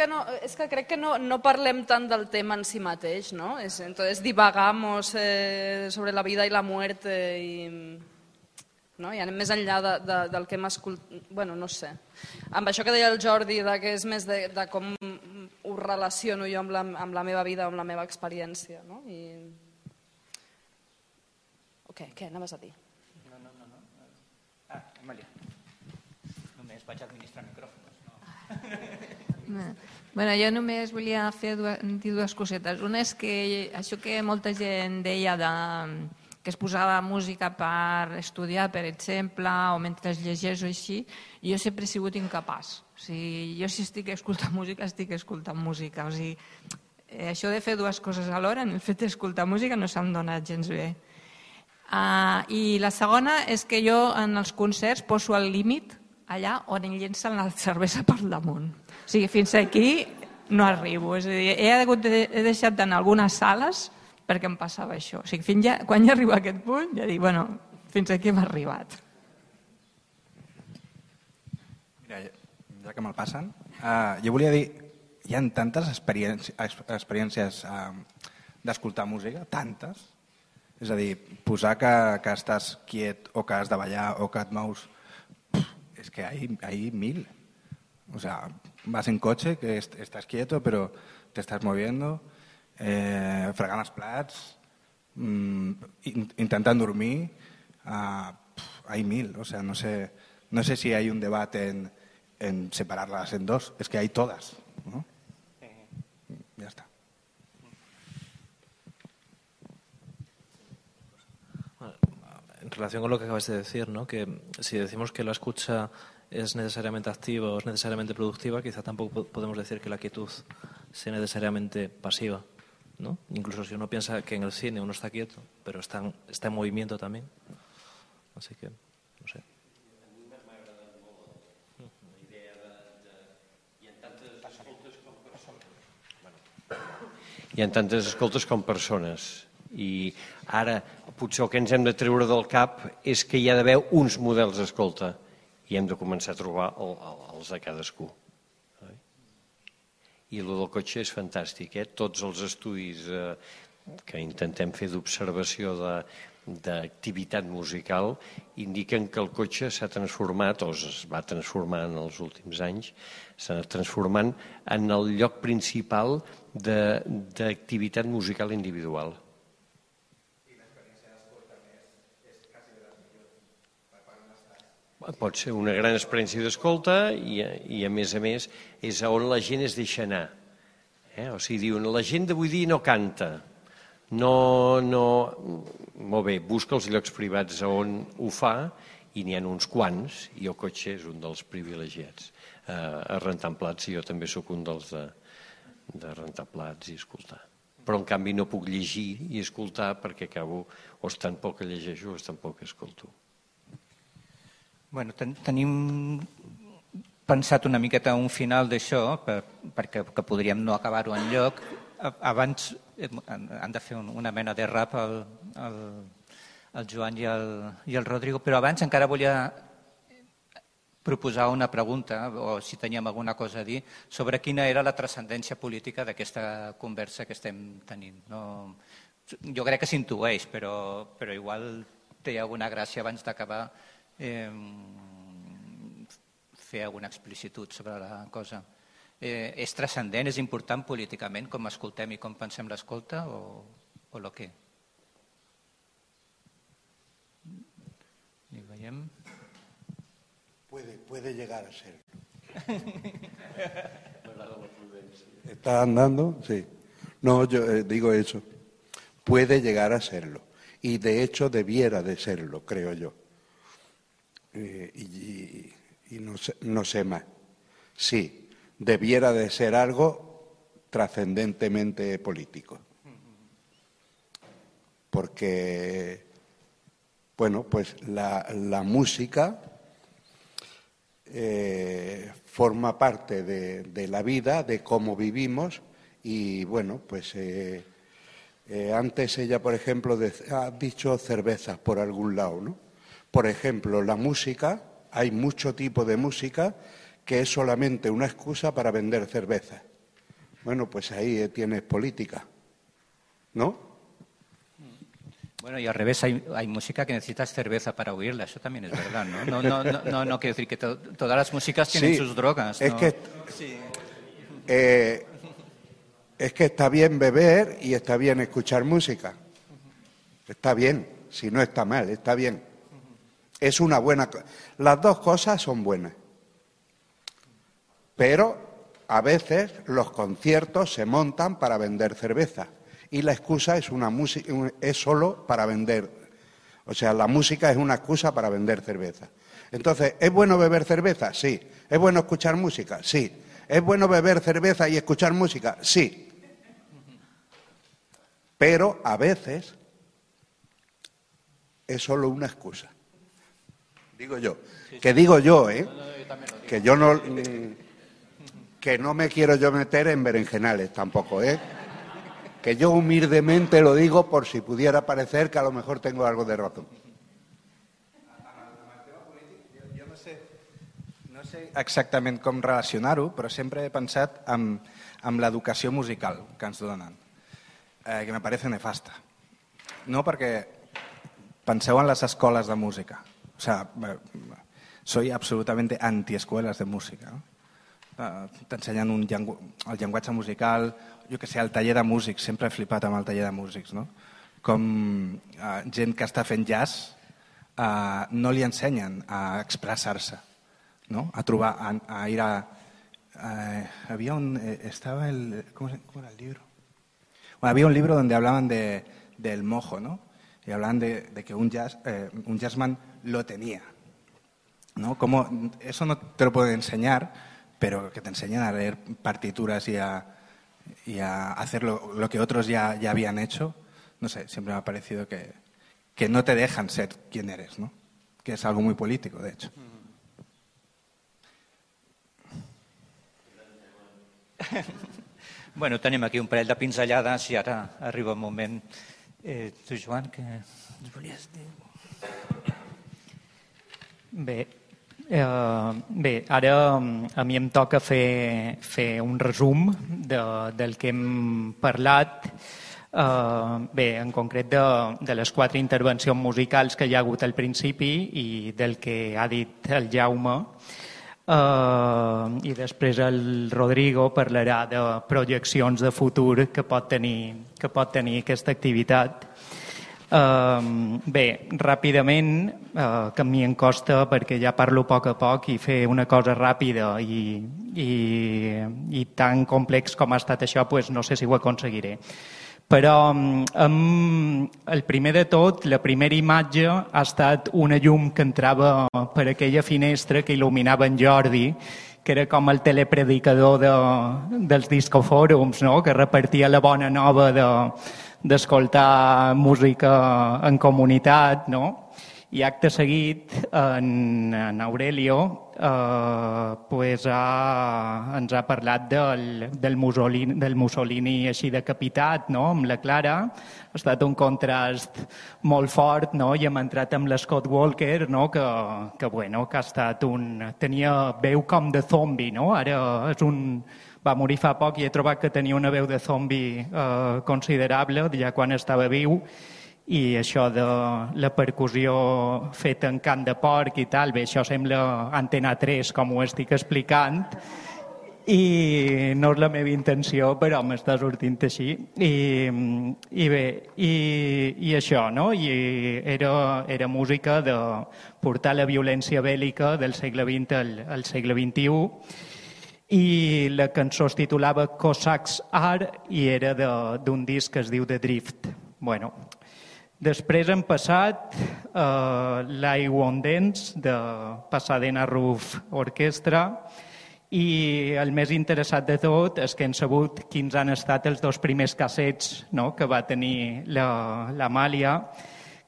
que no parlem tant del tema en si mateix, ¿no? Entonces divagamos sobre la vida y la muerte y no? I anem més enllà del que hem escoltat. Bueno, no sé. Amb això que deia el Jordi, que és més de com ho relaciono jo amb la meva vida, amb la meva experiència. No? Què anaves a dir? No. Amàlia. Només vaig administrar micròfons. Bueno, jo només volia dir dues cosetes. Una és que això que molta gent deia que es posava música per estudiar, per exemple, o mentre es llegeix o així, jo sempre he sigut incapaç. O sigui, jo si estic escoltant música, estic escoltant música. O sigui, això de fer dues coses alhora, en el fet d'escoltar música, no se'm dona gens bé. I la segona és que jo en els concerts poso el límit allà on em llencen la cervesa per damunt. O sigui, fins aquí no arribo. És a dir, he deixat d'anar a algunes sales perquè em passava això. O sigui, quan ja arribo a aquest punt, ja dic, bueno, fins aquí hem arribat. Mira, ja que me'l passen, jo volia dir, hi ha tantes experiències d'escoltar música, tantes. És a dir, posar que estàs quiet o que has de ballar o que et mous, es que hay 1000. O sea, vas en coche, que estás quieto, pero te estás moviendo, fregant els plats, intentant dormir, hay 1000. O sea, no sé si hay un debate en separarlas en dos, es que hay todas, ¿no? Ya está. En relación con lo que acabas de decir, ¿no? Que si decimos que la escucha es necesariamente activa o es necesariamente productiva, quizá tampoco podemos decir que la quietud sea necesariamente pasiva, ¿no? Incluso si uno piensa que en el cine uno está quieto, pero está en movimiento también. Así que, no sé. Hi ha tantes escoltes com persones. I ara potser el que ens hem de treure del cap és que hi ha d'haver uns models d'escolta i hem de començar a trobar els de cadascú. I el del cotxe és fantàstic. Tots els estudis que intentem fer d'observació d'activitat musical indiquen que el cotxe s'ha transformat, o es va transformar en els últims anys, s'ha anat transformant en el lloc principal d'activitat musical individual. Pot ser una gran experiència d'escolta i a més és on la gent es deixa anar. O sigui, diuen, la gent d'avui dia no canta. Molt bé, busca els llocs privats on ho fa i n'hi ha uns quants i el cotxe és un dels privilegiats. A rentar plats, jo també sóc un dels de rentar plats i escoltar. Però en canvi no puc llegir i escoltar perquè acabo o estant poc que llegeixo o estant poc que escolto. Bueno, tenim pensat una miqueta un final d'això, perquè podríem no acabar-ho enlloc. Abans han de fer una mena de rap el Joan i el Rodrigo, però abans encara volia proposar una pregunta, o si teníem alguna cosa a dir, sobre quina era la transcendència política d'aquesta conversa que estem tenint. Jo crec que s'intueix, però igual té alguna gràcia abans d'acabar fer alguna explicitud sobre la cosa. És transcendent, és important políticament com escoltem i com pensem l'escolta o el què? I veiem... Puede llegar a ser. ¿Está andando? Sí. No, yo digo eso. Puede llegar a serlo. Y de hecho debiera de serlo, creo yo. Y no sé más. Sí, debiera de ser algo trascendentemente político. Porque, bueno, pues la música forma parte de la vida, de cómo vivimos y, bueno, pues antes ella, por ejemplo, ha dicho cervezas por algún lado, ¿no? Por ejemplo, la música, hay mucho tipo de música que es solamente una excusa para vender cerveza. Bueno, pues ahí tienes política, ¿no? Bueno, y al revés, hay música que necesitas cerveza para oírla, eso también es verdad, ¿no? No quiero decir que todas las músicas tienen sus drogas, ¿no? Es que está bien beber y está bien escuchar música. Está bien, si no está mal, está bien. Es una buena cosa. Las dos cosas son buenas. Pero a veces los conciertos se montan para vender cerveza. Y la excusa es solo para vender. O sea, la música es una excusa para vender cerveza. Entonces, ¿es bueno beber cerveza? Sí. ¿Es bueno escuchar música? Sí. ¿Es bueno beber cerveza y escuchar música? Sí. Pero a veces es solo una excusa. Digo yo. Que digo yo, ¿eh? Que yo no... Que no me quiero yo meter en berenjenales tampoco, ¿eh? Que yo humildemente lo digo por si pudiera parecer que a lo mejor tengo algo de razón. Jo no sé exactament com relacionar-ho, però sempre he pensat en l'educació musical que ens donen, que me parece nefasta. No perquè penseu en les escoles de música. O sea, soy absolutamente anti-escuelas de música, no? T'ensenyen el llenguatge musical, jo que sé, el taller de músics, sempre he flipat amb el taller de músics, no? Com gent que està fent jazz no li ensenyen a expressar-se, no? A trobar, a ir a... había un... estaba el... ¿Cómo era el libro? Bueno, había un libro donde hablaban del mojo, ¿no? Y hablaban de que un jazzman lo tenía, ¿no? Como eso no te lo pueden enseñar, pero que te enseñan a leer partituras y a hacer lo que otros ya habían hecho. No sé, siempre me ha parecido que no te dejan ser quien eres, ¿no? Que es algo muy político, de hecho. Bueno, tenim aquí un parell de pinzellades i ara arriba el moment. Tu, Joan, què ens volies dir? Bé, ara a mi em toca fer un resum del que hem parlat, en concret de les 4 intervencions musicals que hi ha hagut al principi i del que ha dit el Jaume, i després el Rodrigo parlarà de projeccions de futur que pot tenir aquesta activitat. Bé, ràpidament, que a mi em costa perquè ja parlo a poc i fer una cosa ràpida i tan complex com ha estat això, doncs no sé si ho aconseguiré. Però el primer de tot, la primera imatge ha estat una llum que entrava per aquella finestra que il·luminava en Jordi, que era com el telepredicador dels discofòrums, no? Que repartia la bona nova d'escoltar música en comunitat, no? I acte seguit, en Aurelio ens ha parlat del Mussolini així decapitat, no? Amb la Clara. Ha estat un contrast molt fort, no? I hem entrat amb l'Scott Walker, no? Que ha estat tenia veu com de zombi, no? Ara va morir fa poc i he trobat que tenia una veu de zombi considerable ja quan estava viu, i això de la percussió feta en cant de porc i tal, bé, això sembla Antena 3 com ho estic explicant i no és la meva intenció, però m'està sortint així i bé, i això, no? I era música de portar la violència bèl·lica del segle XX al segle XXI. I la cançó es titulava Cossacks Are i era d'un disc que es diu The Drift. Bueno, després hem passat l'I Won't Dance de Pasadena Roof Orchestra i el més interessat de tot és que hem sabut quins han estat els 2 primers cassets, no? Que va tenir l'Amàlia,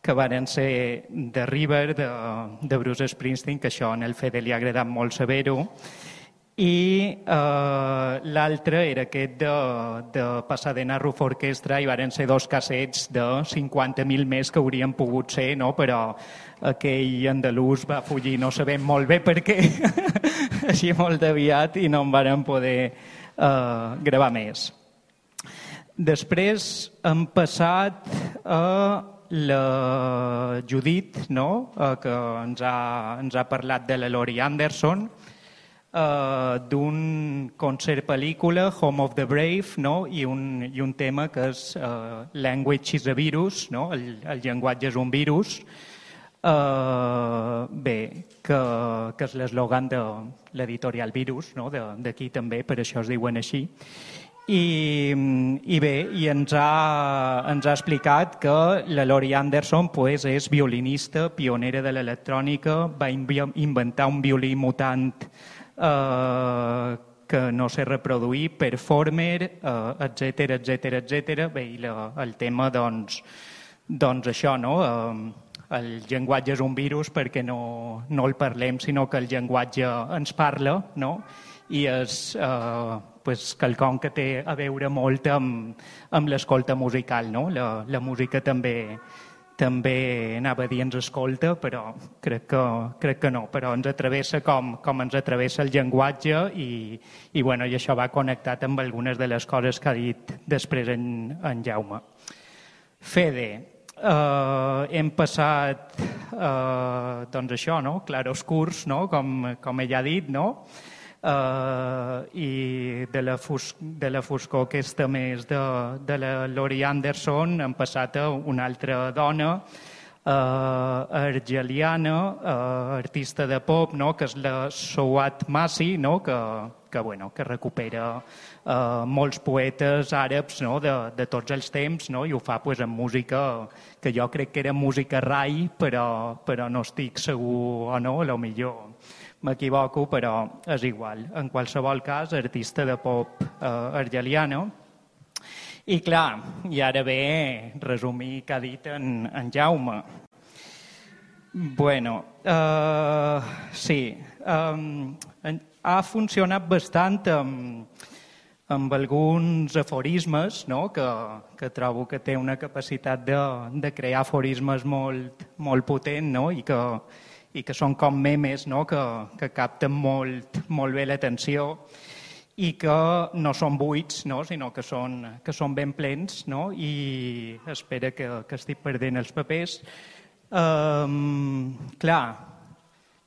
que van ser The River de Bruce Springsteen, que això en el Fede li ha agradat molt saber-ho, i l'altre era aquest de Pasadena Roof Orchestra i van ser 2 cassets de 50.000 més que haurien pogut ser, no? Però aquell andalús va fugir, no sabem molt bé per què, així molt aviat, i no en van poder gravar més. Després hem passat a la Judit, no? Que ens ha parlat de la Laurie Anderson, d'un concert-pel·lícula, Home of the Brave, no? I un tema que és Language is a Virus, no? El llenguatge és un virus. Bé, que és l'eslògan de l'editorial Virus, no? D'aquí també, per això es diuen així. I bé, ens ha explicat que la Laurie Anderson pues, és violinista, pionera de l'electrònica, va inventar un violí mutant que no sé reproduir, performer, etc. Bé, i el tema, doncs això, no? El llenguatge és un virus perquè no el parlem, sinó que el llenguatge ens parla, no? I és quelcom que té a veure molt amb l'escolta musical, no? La música també anava a dir ens escolta, però crec que no, però ens atravessa com ens atravessa el llenguatge i això va connectat amb algunes de les coses que ha dit després en Jaume. Fede, hem passat doncs això, no? Claroscurs, no? Com ella ha dit, no? I de la foscor aquesta més de la Laurie Anderson hem passat a una altra dona, argeliana, artista de pop, no? Que és la Souad Massi, no? Que recupera molts poetes àrabs, no? de tots els temps, no? I ho fa pues, amb música que jo crec que era música rai, però no estic segur o no, a lo millor m'equivoco, però és igual. En qualsevol cas, artista de pop argeliana. I clar, i ara ve resumir què ha dit en Jaume. Bueno, sí, ha funcionat bastant amb alguns aforismes, no? Que trobo que té una capacitat de crear aforismes molt potent, no? I que són com memes, no? Que capten molt bé l'atenció i que no són buits, no? Sinó que són ben plens, no? I espera que estic perdent els papers. Clar,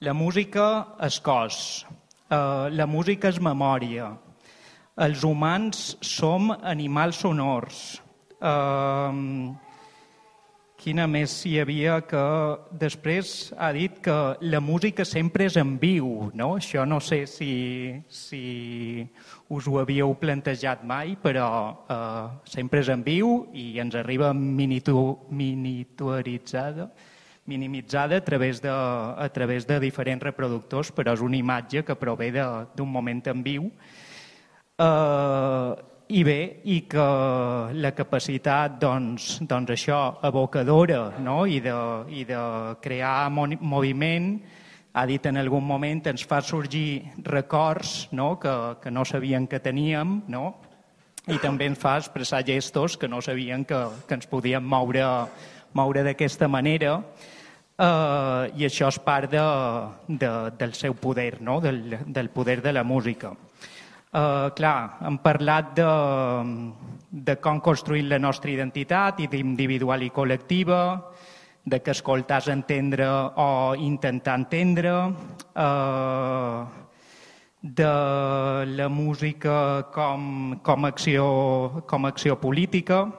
la música és cos, la música és memòria, els humans som animals sonors. Quina més hi havia que després ha dit que la música sempre és en viu, no? Això no sé si us ho havíeu plantejat mai, però sempre és en viu i ens arriba minimitzada a través de diferents reproductors, però és una imatge que prové d'un moment en viu. I bé, i que la capacitat, doncs això, evocadora, no? I de crear moviment, ha dit en algun moment, ens fa sorgir records, no? Que no sabien que teníem, no? I també ens fa expressar gestos que no sabien que ens podíem moure d'aquesta manera. I això és part del seu poder, no? Del poder de la música. Clar, hem parlat de com construir la nostra identitat, individual i col·lectiva, de que escoltar és entendre o intentar entendre, de la música com acció política.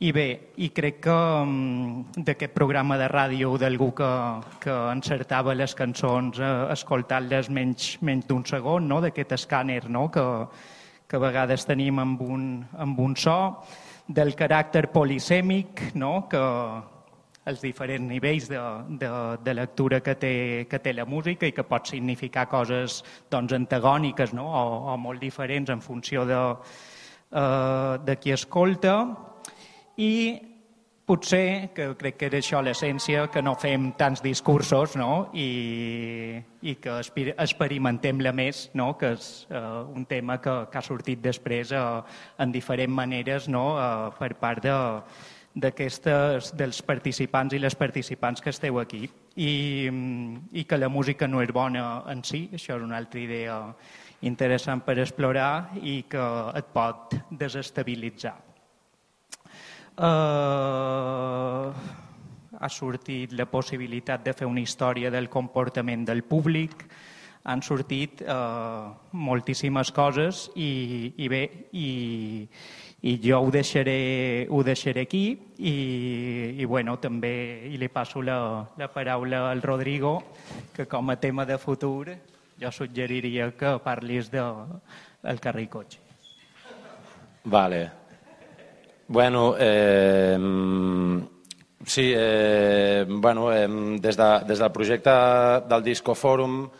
I bé, i crec que d'aquest programa de ràdio d'algú que encertava les cançons escoltant-les menys d'un segon, no? D'aquest escàner, no? Que a vegades tenim amb un so, del caràcter polisèmic, no? Que els diferents nivells de lectura que té la música i que pot significar coses doncs, antagòniques, no? O molt diferents en funció de qui escolta. I potser, que crec que era això l'essència, que no fem tants discursos, no? I que experimentem-la més, no? Que és un tema que ha sortit després en diferents maneres, no? Per part dels participants i les participants que esteu aquí. I que la música no és bona en si, això és una altra idea interessant per explorar i que et pot desestabilitzar. Ha sortit la possibilitat de fer una història del comportament del públic, han sortit moltíssimes coses i bé, i jo ho deixaré aquí i bueno, també li passo la paraula al Rodrigo, que com a tema de futur jo suggeriria que parlis del Carricotxe. Vale. Bueno, sí, bueno, des del projecte del Disco Fòrum,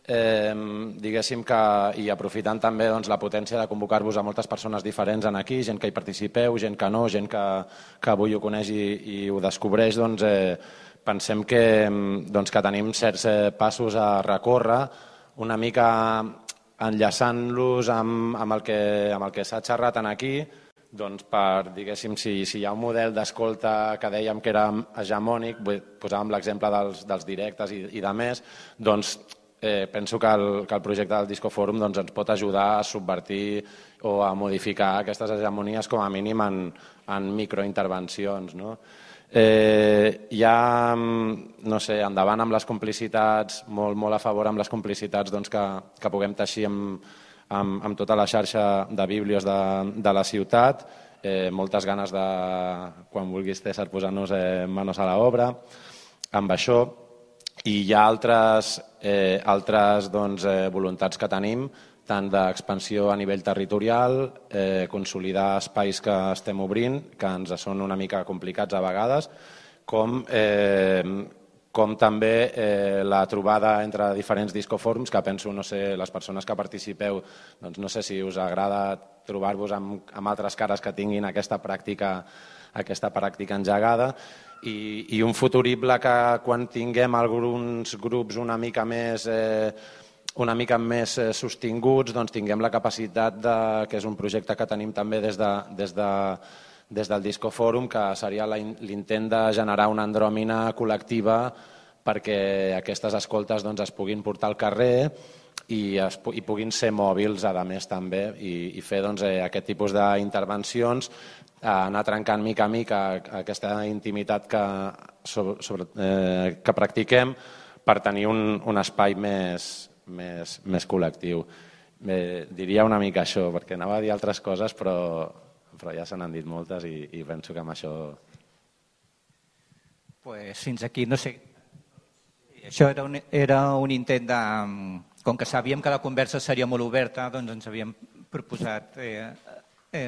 diguéssim que, i aprofitant també doncs, la potència de convocar-vos a moltes persones diferents en aquí, gent que hi participeu, gent que no, gent que avui ho coneix i ho descobreix, doncs, pensem que tenim certs passos a recórrer, una mica enllaçant-los amb el que s'ha xerrat aquí, doncs per, diguéssim, si hi ha un model d'escolta que dèiem que era hegemònic, posàvem l'exemple dels directes i de més, doncs penso que el projecte del Disco Fòrum ens pot ajudar a subvertir o a modificar aquestes hegemonies com a mínim en microintervencions. Hi ha, no sé, endavant amb les complicitats, molt a favor amb les complicitats que puguem teixir amb tota la xarxa de bíblios de la ciutat, moltes ganes de, quan vulguis César, posar-nos manos a l'obra amb això, i hi ha altres voluntats que tenim, tant d'expansió a nivell territorial, consolidar espais que estem obrint, que ens són una mica complicats a vegades, com també la trobada entre diferents discofòrums, que penso, no sé, les persones que participeu, doncs no sé si us agrada trobar-vos amb altres cares que tinguin aquesta pràctica engegada, i un futurible que quan tinguem alguns grups una mica més sostinguts, doncs tinguem la capacitat, que és un projecte que tenim també des del Disco Fòrum, que seria l'intent de generar una andròmina col·lectiva perquè aquestes escoltes es puguin portar al carrer i puguin ser mòbils, a més, també, i fer aquest tipus d'intervencions, anar trencant mica a mica aquesta intimitat que practiquem per tenir un espai més col·lectiu. Diria una mica això, perquè anava a dir altres coses, però ja se n'han dit moltes i penso que amb això... Pues fins aquí, no sé. Això era un intent de... Com que sabíem que la conversa seria molt oberta, doncs ens havíem proposat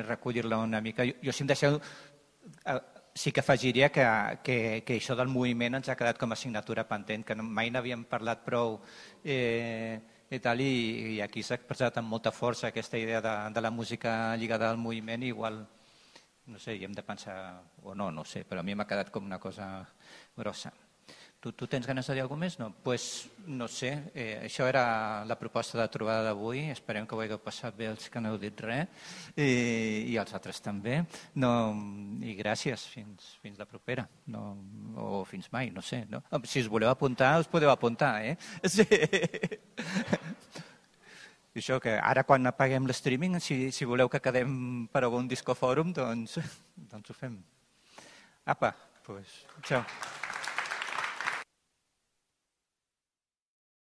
recollir-la una mica. Jo, si em deixeu, sí que afegiria que això del moviment ens ha quedat com a assignatura pendent, que mai n'havíem parlat prou i tal, i aquí s'ha expressat amb molta força aquesta idea de la música lligada al moviment, i igual, no sé, hi hem de pensar, o no sé, però a mi m'ha quedat com una cosa grossa. Tu tens ganes de dir alguna cosa més? No? Doncs no sé, això era la proposta de trobada d'avui, esperem que ho hagueu passat bé els que no heu dit res, i els altres també, i gràcies, fins la propera, o fins mai, no sé. Si us voleu apuntar, us podeu apuntar, Sí. Això que ara quan apaguem l'streaming, si voleu que quedem per algun discofòrum, doncs ho fem. Apa, doncs, ciao.